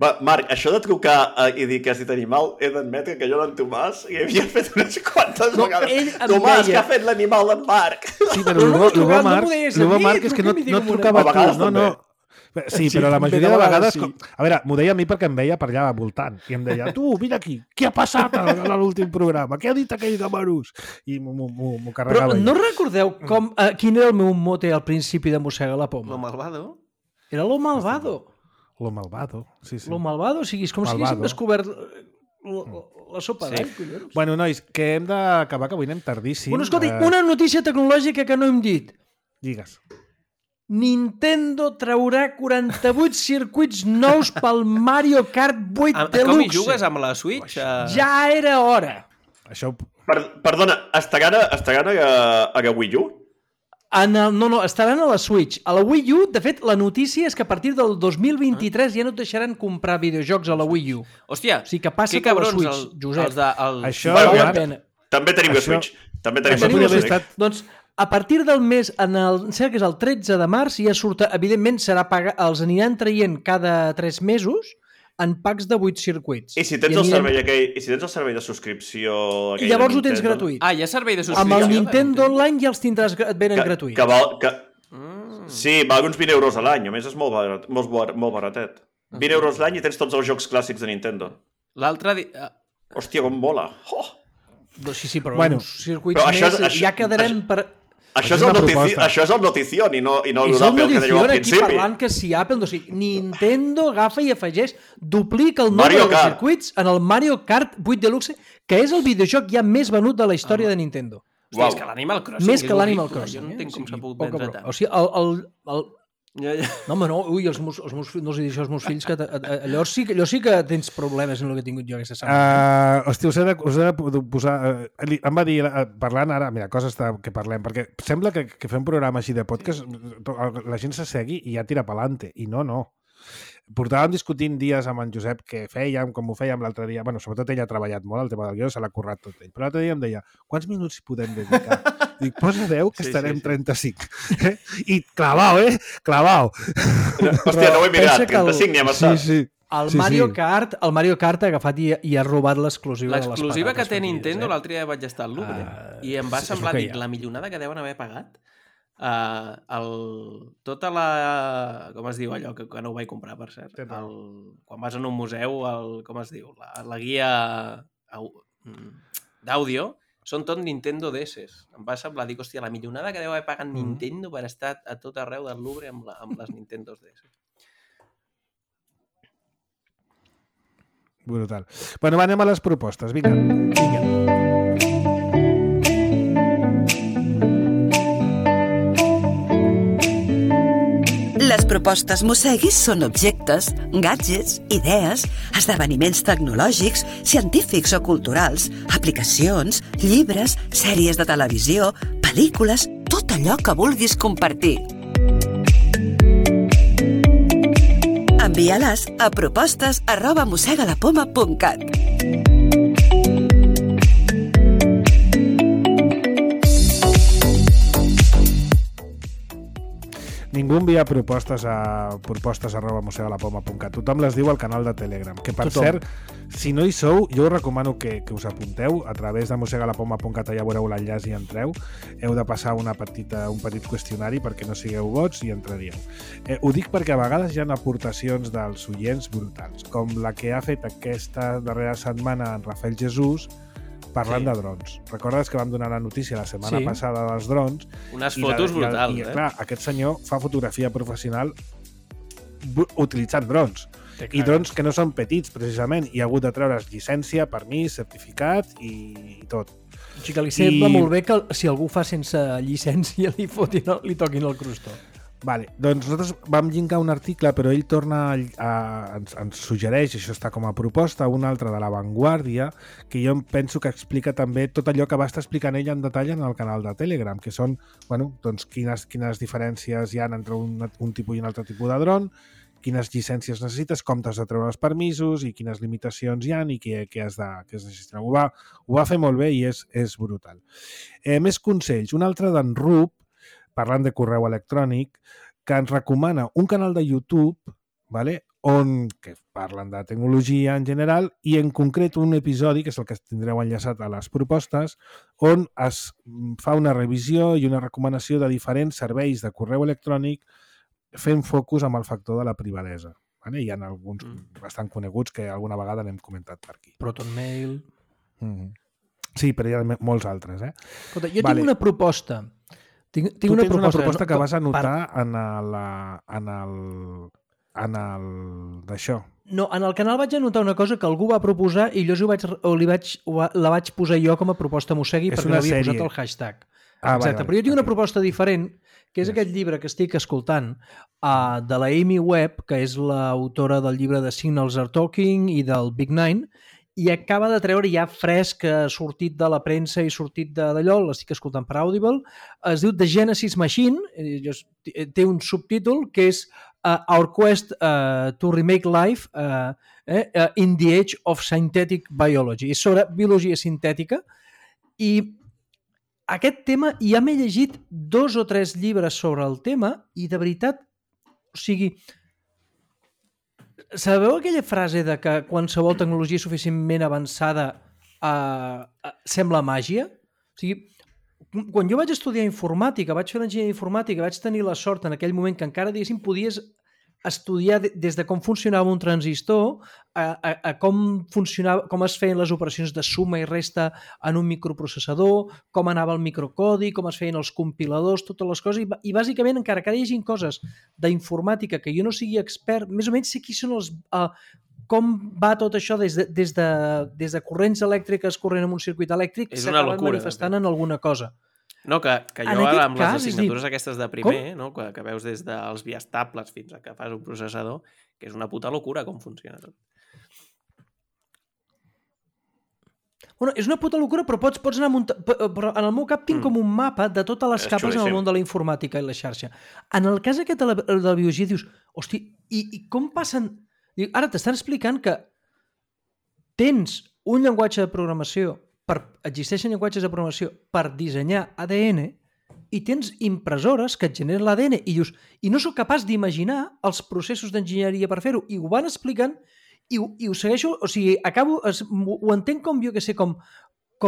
Va, Marc, això de trucar i dir que has dit animal, he d'admetre que jo l'en Tomàs hi havia fet unes quantes vegades. Tomàs, que ha fet l'animal d'en Marc?
Sí, però el bo Marc és que no et trucava tu. No. Sí, però la majoria de vegades... A veure, m'ho deia a mi perquè em veia per allà voltant. I em deia, tu, vine aquí, què ha passat a l'últim programa? Què ha dit aquell gamarús? I m'ho carregava.
Però no recordeu quin era el meu mote al principi de Mossega la Poma?
Lo malvado?
Era lo malvado.
Lo malvado, sí.
Lo malvado, o sigui, és com si haguéssim descobert la sopa d'all, collons.
Bueno, nois, que hem d'acabar, que avui anem tardíssim.
Bueno, escolti, una notícia tecnològica que no hem dit.
Digues.
Nintendo traurà 48 circuits nous pel Mario Kart 8 Deluxe.
Com hi jugues amb la Switch?
Ja era hora.
Això...
Perdona, estaran a Wii U?
No, estaran a la Switch. A la Wii U, de fet, la notícia és que a partir del 2023 ja no et deixaran comprar videojocs a la Wii U.
Hòstia,
o sigui que passa per la Switch, Josep.
Això...
També tenim la Switch.
Doncs a partir del mes, que és el 13 de març, ja surt, evidentment, els aniran traient cada 3 mesos en packs de 8 circuits.
I si tens el servei de subscripció...
Llavors ho tens gratuït.
Ah, hi ha servei de subscripció.
Amb el Nintendo Online ja els tindràs, et venen gratuïts.
Sí, val uns 20 euros a l'any, a més és molt baratet. 20 euros l'any i tens tots els jocs clàssics de Nintendo.
L'altre
Hòstia, com mola.
Sí, però uns circuits més ja quedarem per...
Això és el notición i no l'Apple que dèieu al principi.
Aquí parlant que si Apple... O sigui, Nintendo agafa i afegeix, duplica el nombre de circuits en el Mario Kart 8 Deluxe, que és el videojoc ja més venut de la història de Nintendo.
Hòstia, és que l'Animal Crossing...
Més que l'Animal Crossing.
Jo no entenc com s'ha pogut vendre tant.
O sigui, No, home, no. Ui, els meus fills, no els he dit això als meus fills, que allò sí que tens problemes en el que he tingut jo aquesta setmana.
Hòstia, us he de posar... Em va dir, parlant ara, mira, coses que parlem, perquè sembla que fem un programa així de podcast, la gent s'assegui i ja tira pelante, i no. Portàvem discutint dies amb en Josep què fèiem, com ho fèiem l'altre dia. Bueno, sobretot ell ha treballat molt, el tema del guió se l'ha currat tot ell. Però l'altre dia em deia, quants minuts hi podem dedicar? Dic, posa 10 que estarem 35. I clavau, Clavau.
Hòstia, no ho he mirat, 35 n'hi ha passat.
Sí.
El Mario Kart ha agafat i ha robat l'exclusiva de les patates.
L'exclusiva que té Nintendo, l'altre dia vaig estar al Louvre i em va semblar, la millonada que deuen haver pagat. Tota la... com es diu allò que no ho vaig comprar, per cert, quan vas en un museu, com es diu, la guia d'àudio són tot Nintendo DS. Em va semblar, dic, hòstia, la millonada que deu haver pagat Nintendo per estar a tot arreu del Louvre amb les Nintendo DS.
Brutal. Bueno, anem a les propostes, vinga.
Les propostes Mosseguis són objectes, gadgets, idees, esdeveniments tecnològics, científics o culturals, aplicacions, llibres, sèries de televisió, pel·lícules, tot allò que vulguis compartir. Envia-les a propostes@mossegalapoma.cat.
Ningú envia propostes a propostes@mossegalapoma.cat. Tothom les diu al canal de Telegram. Que, per cert, si no hi sou, jo us recomano que us apunteu a través de mossegalapoma.cat, ja veureu l'enllaç i entreu. Heu de passar un petit qüestionari perquè no sigueu bots i entraríeu. Ho dic perquè a vegades hi ha aportacions dels oients brutals, com la que ha fet aquesta darrera setmana en Rafael Jesús, parlant de drons. Recordes que vam donar la notícia la setmana passada dels drons?
Unes fotos brutals,
clar, aquest senyor fa fotografia professional utilitzant drons. I drons que no són petits, precisament. I ha hagut de treure's llicència, permís, certificat i tot.
O sigui que li sembla molt bé que si algú fa sense llicència li toquin el crostó.
Vale, doncs nosaltres vam llinkar un article, però ell torna ens suggereix, això està com a proposta, un altre de La Vanguardia, que jo penso que explica també tot allò que va estar explicant ell en detall en el canal de Telegram, que són doncs, quines diferències hi ha entre un tipus i un altre tipus de dron, quines llicències necessites, com t'has de treure els permisos i quines limitacions hi ha i què has de gestionar. Ho va fer molt bé i és brutal. Més consells. Un altre d'en Rup, parlant de correu electrònic, que ens recomana un canal de YouTube, vale? Que parlen de tecnologia en general i en concret un episodi, que és el que tindreu enllaçat a les propostes, on es fa una revisió i una recomanació de diferents serveis de correu electrònic fent focus amb el factor de la privadesa. Vale? Hi ha alguns bastant coneguts que alguna vegada n'hem comentat per aquí.
ProtonMail...
Sí, però hi ha molts altres.
Escolta, jo tinc una proposta. Tinc una
proposta que vas anotar en d'això.
No, en el canal vaig anotar una cosa que algú va proposar i jo la vaig posar jo com a proposta Mossegui perquè l'havia posat el hashtag. Exacte, però jo tinc una proposta diferent, que és aquest llibre que estic escoltant de la Amy Webb, que és l'autora del llibre de Signals Are Talking i del Big Nine, i acaba de treure ja fresc, ha sortit de la premsa i sortit d'allò, l'estic escoltant per Audible, es diu The Genesis Machine, té un subtítol que és Our Quest to Remake Life in the Age of Synthetic Biology. És sobre biologia sintètica i aquest tema, ja m'he llegit 2 o 3 llibres sobre el tema i de veritat, o sigui... Sabeu aquella frase de que qualsevol tecnologia suficientment avançada sembla màgia? O sigui, quan jo vaig estudiar informàtica, vaig fer l'enginyeria informàtica, vaig tenir la sort en aquell moment que encara, diguéssim, podies estudiar des de com funcionava un transistor a com es feien les operacions de suma i resta en un microprocessador, com anava el microcodi, com es feien els compiladors, totes les coses, i bàsicament, encara que hi hagi coses d'informàtica que jo no sigui expert, més o menys sé qui són com va tot això des de corrents elèctriques corrent en un circuit elèctric s'acaben manifestant en alguna cosa.
No, que jo ara amb les assignatures aquestes de primer, no? Que veus des dels biestables fins a que fas un processador, que és una puta locura com funciona tot.
Bueno, és una puta locura, però pots anar però en el meu cap tinc com un mapa de totes les capes en el món de la informàtica i la xarxa. En el cas aquest de la biologia dius, hosti, i com passen... Ara t'estan explicant que tens un llenguatge de programació existeixen llenguatges de programació per dissenyar ADN i tens impressores que et generen l'ADN i dius, i no sóc capaç d'imaginar els processos d'enginyeria per fer-ho, i ho van explicant i ho segueixo, o sigui, ho entenc com jo que sé, com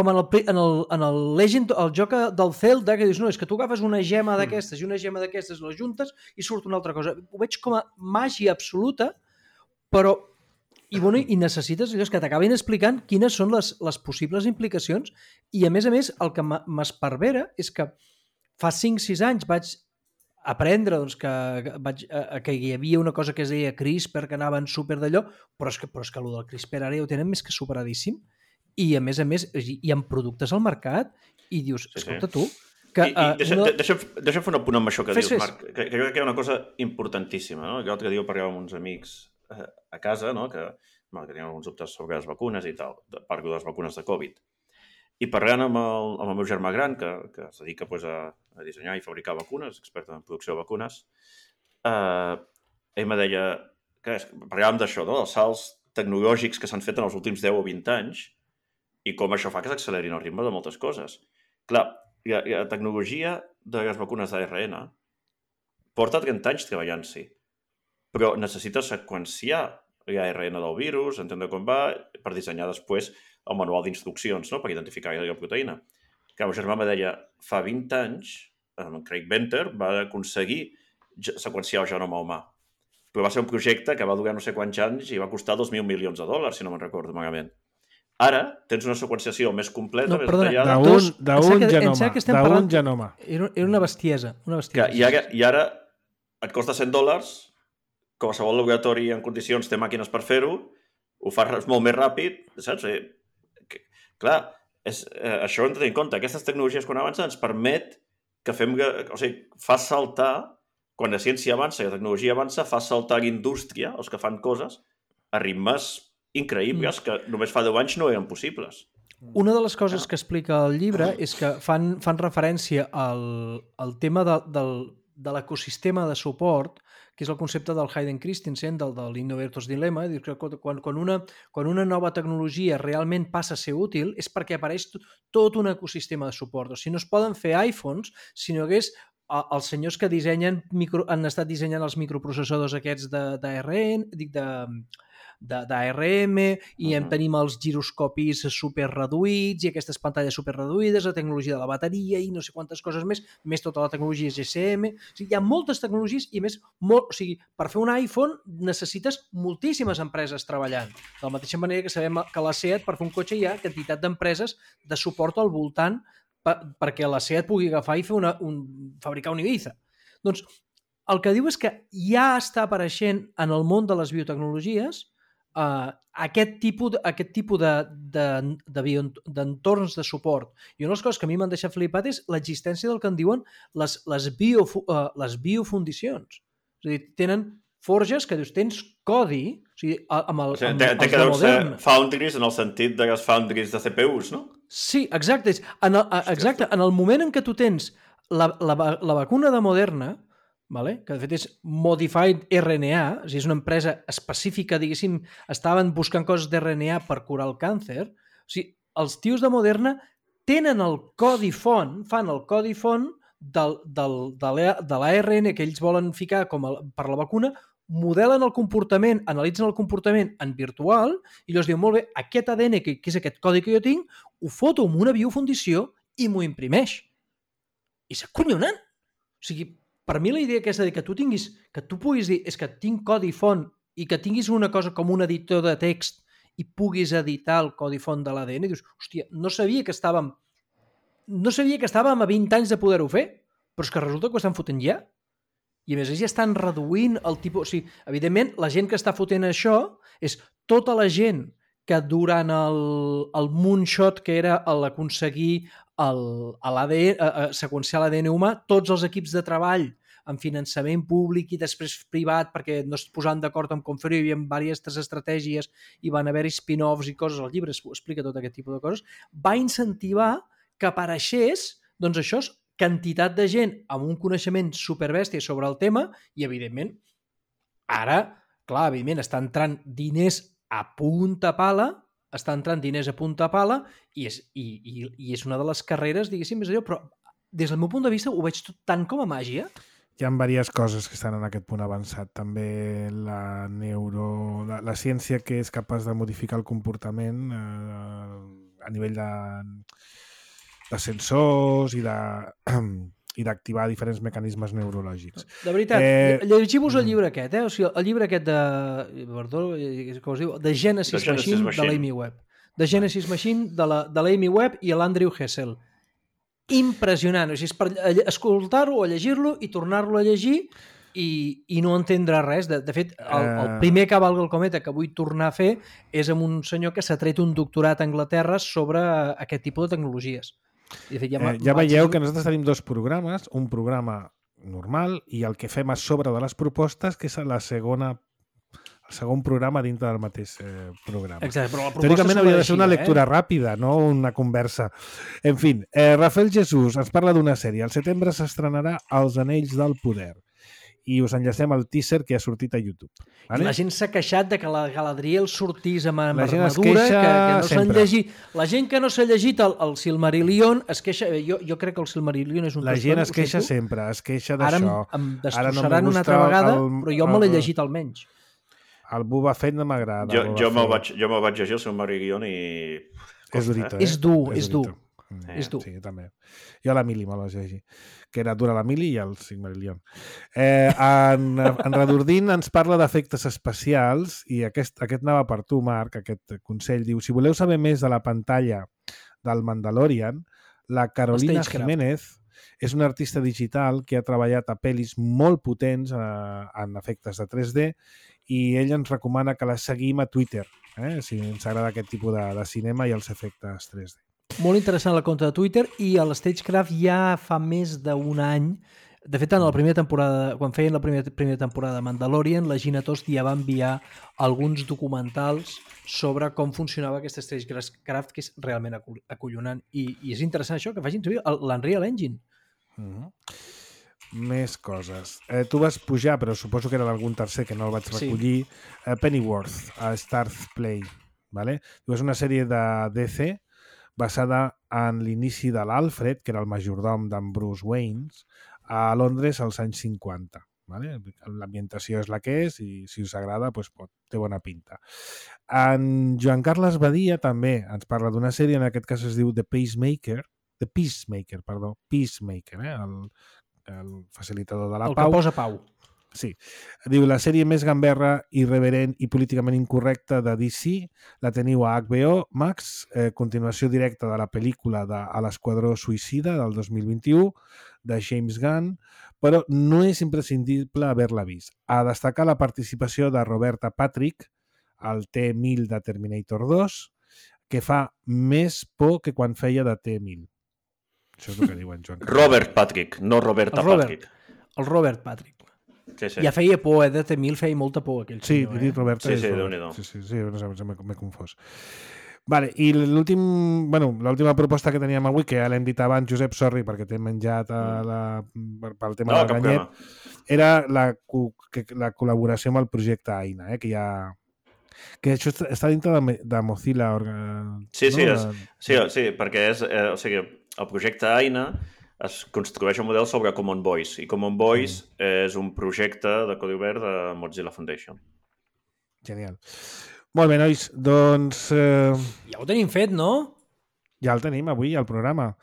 en el Legend, el joc del Zelda, que dius, no, és que tu agafes una gema d'aquestes i una gema d'aquestes, les juntes i surt una altra cosa. Ho veig com a màgia absoluta, però i necessites allò que t'acabin explicant quines són les possibles implicacions i, a més, el que m'esparvera és que fa 5-6 anys vaig aprendre que hi havia una cosa que es deia CRISPR, que anaven super d'allò, però és que el del CRISPR ara ja ho tenen més que superadíssim i, a més, hi ha productes al mercat i dius, escolta tu...
Deixa'm fer un apunt amb això que dius, Marc, que jo crec que hi ha una cosa importantíssima, no? L'altre dia parlàvem amb uns amics a casa, no? que tenien alguns dubtes sobre les vacunes i tal, parlo de les vacunes de Covid. I parlant amb el meu germà gran, que es dedica a dissenyar i fabricar vacunes, expert en producció de vacunes, ell me deia que parlàvem d'això, no? Els salts tecnològics que s'han fet en els últims 10 o 20 anys i com això fa que s'accelerin el ritme de moltes coses. Clar, la tecnologia de les vacunes d'ARN porta 30 anys treballant-s'hi, però necessita seqüenciar l'ARN del virus, entendre com va, per dissenyar després el manual d'instruccions, no? Per identificar la proteïna. El meu germà me deia, fa 20 anys, Craig Venter va aconseguir seqüenciar el genoma humà. Però va ser un projecte que va durar no sé quants anys i va costar $2.000 milions, si no me'n recordo malament. Ara tens una seqüenciació més completa, més detallada.
D'un genoma.
Era una bestiesa.
I ara et costa $100, qualsevol laboratori en condicions té màquines per fer-ho, ho fas molt més ràpid, saps? Clar, això ho hem de tenir en compte. Aquestes tecnologies quan avancen ens permet que fa saltar, quan la ciència avança i la tecnologia avança, fa saltar l'indústria, els que fan coses, a ritmes increïbles que només fa 10 anys no eren possibles.
Una de les coses que explica el llibre és que fan referència al tema de l'ecosistema de suport, que és el concepte del Hayden Christensen, de l'Innovator's Dilemma. Quan una nova tecnologia realment passa a ser útil és perquè apareix tot un ecosistema de suport. O sigui, no es poden fer iPhones si no hagués els senyors que han estat dissenyant els microprocessadors aquests d'ARM, i tenim els giroscopis superreduïts i aquestes pantalles superreduïdes, la tecnologia de la bateria i no sé quantes coses més tota la tecnologia GSM. O sigui, hi ha moltes tecnologies i més, per fer un iPhone necessites moltíssimes empreses treballant. De la mateixa manera que sabem que la SEAT, per fer un cotxe, hi ha quantitat d'empreses de suport al voltant perquè la SEAT pugui agafar i fabricar un Ibiza. Doncs el que diu és que ja està apareixent en el món de les biotecnologies aquest tipus d'entorns de suport. I una de les coses que a mi m'han deixat flipat és l'existència del que en diuen les biofundicions. És a dir, tenen forges que dius, tens codi, o sigui, amb els de Moderna.
Foundries en el sentit de les foundries de CPUs, no?
Sí, exacte. Exacte. En el moment en què tu tens la vacuna de Moderna, que de fet és Modified RNA, o sigui, és una empresa específica, diguéssim, estaven buscant coses d'RNA per curar el càncer. O sigui, els tios de Moderna tenen el codi font, fan el codi font de l'ARN que ells volen ficar per la vacuna, modelen el comportament, analitzen el comportament en virtual i llavors diuen, molt bé, aquest ADN, que és aquest codi que jo tinc, ho foto amb una biofundició i m'ho imprimeix. I és acollonant. O sigui, per mi la idea aquesta de que tu puguis dir és que tinc codi font i que tinguis una cosa com un editor de text i puguis editar el codi font de l'ADN, dius, hòstia, no sabia que estàvem a 20 anys de poder-ho fer, però és que resulta que ho estan fotent ja. I a més ja estan reduint el tipus... O sigui, evidentment, la gent que està fotent això és tota la gent que durant el moonshot que era l'aconseguir seqüenciar l'ADN humà, tots els equips de treball amb finançament públic i després privat, perquè no es posaven d'acord amb com fer-ho, hi havia diverses estratègies i van haver-hi spin-offs i coses, el llibre explica tot aquest tipus de coses, va incentivar que apareixés, doncs això, quantitat de gent amb un coneixement superbèstia sobre el tema i, evidentment, ara, clar, evidentment, està entrant diners a punta pala i és una de les carreres, diguéssim, és allò, però des del meu punt de vista ho veig tot tant com a màgia.
Hi ha diverses coses que estan en aquest punt avançat. També la ciència que és capaç de modificar el comportament a nivell de sensors i d'activar diferents mecanismes neurològics.
De veritat, llegiu-vos el llibre aquest, o sigui, el llibre aquest com es diu? The Genesis Machine de l'Amy Webb. The Genesis Machine de l'Amy Webb i l'Andrew Hessel. Impressionant, o sigui, és per escoltar-lo o llegir-lo i tornar-lo a llegir i no entendre res. De fet, el primer Cavalga el cometa que vull tornar a fer és amb un senyor que s'ha tret un doctorat a Anglaterra sobre aquest tipus de tecnologies. De fet,
ja veieu que nosaltres tenim dos programes, un programa normal i el que fem a sobre de les propostes, que és el segon programa dintre del mateix programa.
Exacte, però la proposta
teòricament hauria de ser una lectura ràpida, no una conversa. En fi, Rafael Jesús ens parla d'una sèrie. Al setembre s'estrenarà Els Anells del Poder i us enllacem el teaser que ha sortit a YouTube.
Vale? I la gent s'ha queixat de que la Galadriel sortís amb armadura, que no s'han llegit. La gent que no s'ha llegit el Silmarillion es queixa... Jo crec que el Silmarillion és un...
La gent es queixa sempre, es queixa d'això.
Ara em destrossaran una altra vegada, però jo me l'he llegit almenys.
El Boba Fett no m'agrada.
Jo me'l vaig llegir el Silmarillion i...
És durito,
És dur.
És dur. Sí, també. Jo a la Mili me l'he llegit, que era dura la Mili i el Silmarillion. En Redordín ens parla d'efectes especials i aquest anava per tu, Marc, aquest consell. Diu, si voleu saber més de la pantalla del Mandalorian, la Carolina Jiménez és una artista digital que ha treballat a pel·lis molt potents en efectes de 3D i ell ens recomana que la seguim a Twitter, si ens agrada aquest tipus de cinema i els efectes 3D.
Molt interessant el compte de Twitter i a l'Stagecraft ja fa més d'un any. De fet, en la primera temporada, quan feien la primera temporada de Mandalorian, la Gina Tost ja va enviar alguns documentals sobre com funcionava aquest Stagecraft, que és realment acollonant. I és interessant això, que facin servir l'Unreal Engine.
Més coses. Tu vas pujar, però suposo que era d'algun tercer que no el vaig recollir, Pennyworth, a Starz Play. Vale? És una sèrie de DC basada en l'inici de l'Alfred, que era el majordom d'en Bruce Wayne, a Londres als anys 50. Vale? L'ambientació és la que és i si us agrada doncs té bona pinta. En Joan Carles Badia també ens parla d'una sèrie, en aquest cas es diu Peacemaker, el facilitador de la pau.
El que posa pau.
Sí. Diu, la sèrie més gamberra, irreverent i políticament incorrecta de DC la teniu a HBO Max, continuació directa de la pel·lícula de A l'Esquadró Suïcida del 2021 de James Gunn, però no és imprescindible haver-la vist. A destacar la participació de Roberta Patrick, al T-1000 de Terminator 2, que fa més por que quan feia de T-1000. Això és el que diuen Joan Carles.
Robert Patrick, no Roberta Patrick.
El Robert Patrick.
Sí.
Ja feia por, de T-1000 feia molta por aquell senyor.
Sí, Roberta.
Sí, Déu-n'hi-do.
Sí, no sé, m'he confós. Vale, i l'última proposta que teníem avui, que ja l'hem dit abans, Josep, sorry, perquè t'he menjat pel tema del ganyet, era la col·laboració amb el projecte Aina, que això està dintre de Mozilla.
Sí, perquè és... o sigui, el projecte Aina es construeix un model sobre Common Voice, i Common Voice és un projecte de codi obert de Mozilla Foundation.
Genial. Molt bé, nois, doncs...
Ja ho tenim fet, no?
Ja el tenim avui, al programa.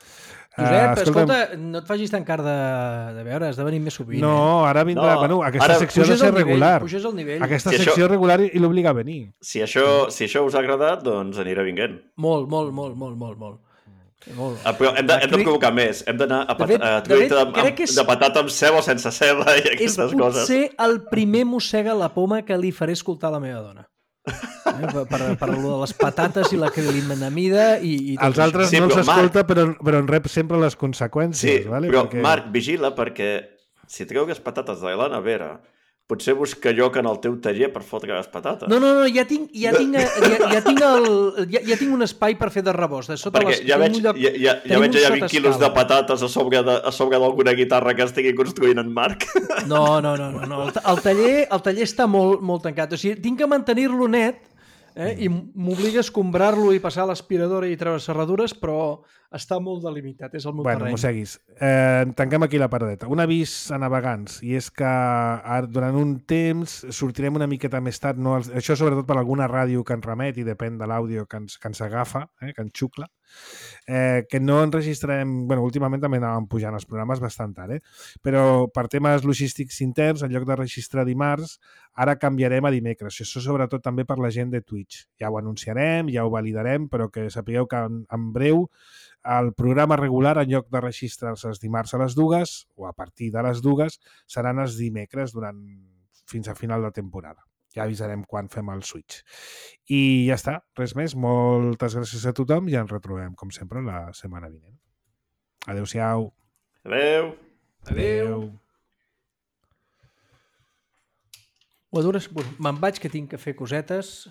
Josep, escolta, no et facis tan car de veure, has de venir més sovint.
No, ara vindrà... Bueno, aquesta secció ha de ser regular.
Puges el nivell.
Aquesta secció regular i l'obliga a venir.
Si això us ha agradat, doncs anirà vinguent.
Molt.
Però hem de provocar més. Hem d'anar a de patata amb ceba o sense ceba i aquestes coses.
És potser el primer mossega la poma que li faré escoltar a la meva dona. Per allò de les patates i la crilinamida i
els altres no els escolta, però en rep sempre les conseqüències.
Sí, però Marc, vigila, perquè si tregues patates de la nevera, potser busca lloc en el teu taller per fotre les patates.
No, ja tinc un espai per fer de rebost.
Perquè ja veig allà 20 quilos de patates a sobre d'alguna guitarra que estigui construint en Marc.
No. El taller està molt tancat. O sigui, tinc que mantenir-lo net i m'obliga a escombrar-lo i passar l'aspiradora i treure serradures, però està molt delimitat, és el meu terreny.
Bueno, seguis. Tanquem aquí la paradeta. Un avís a navegants, i és que durant un temps sortirem una miqueta més tard, això sobretot per alguna ràdio que ens remet i depèn de l'àudio que ens agafa, que ens xucla, que no enregistrarem... Bueno, últimament també anàvem pujant els programes bastant tard, però per temes logístics interns, en lloc de registrar dimarts, ara canviarem a dimecres. Això sobretot també per la gent de Twitch. Ja ho anunciarem, ja ho validarem, però que sapigueu que en breu el programa regular, en lloc de registrar-se els dimarts a les 2 o a partir de les 2, seran els dimecres fins a final de temporada. Ja avisarem quan fem el switch. I ja està, res més. Moltes gràcies a tothom i ens retrobem, com sempre, la setmana vinent. Adéu-siau.
Adéu.
Ho adores? Me'n vaig, que tinc que fer cosetes.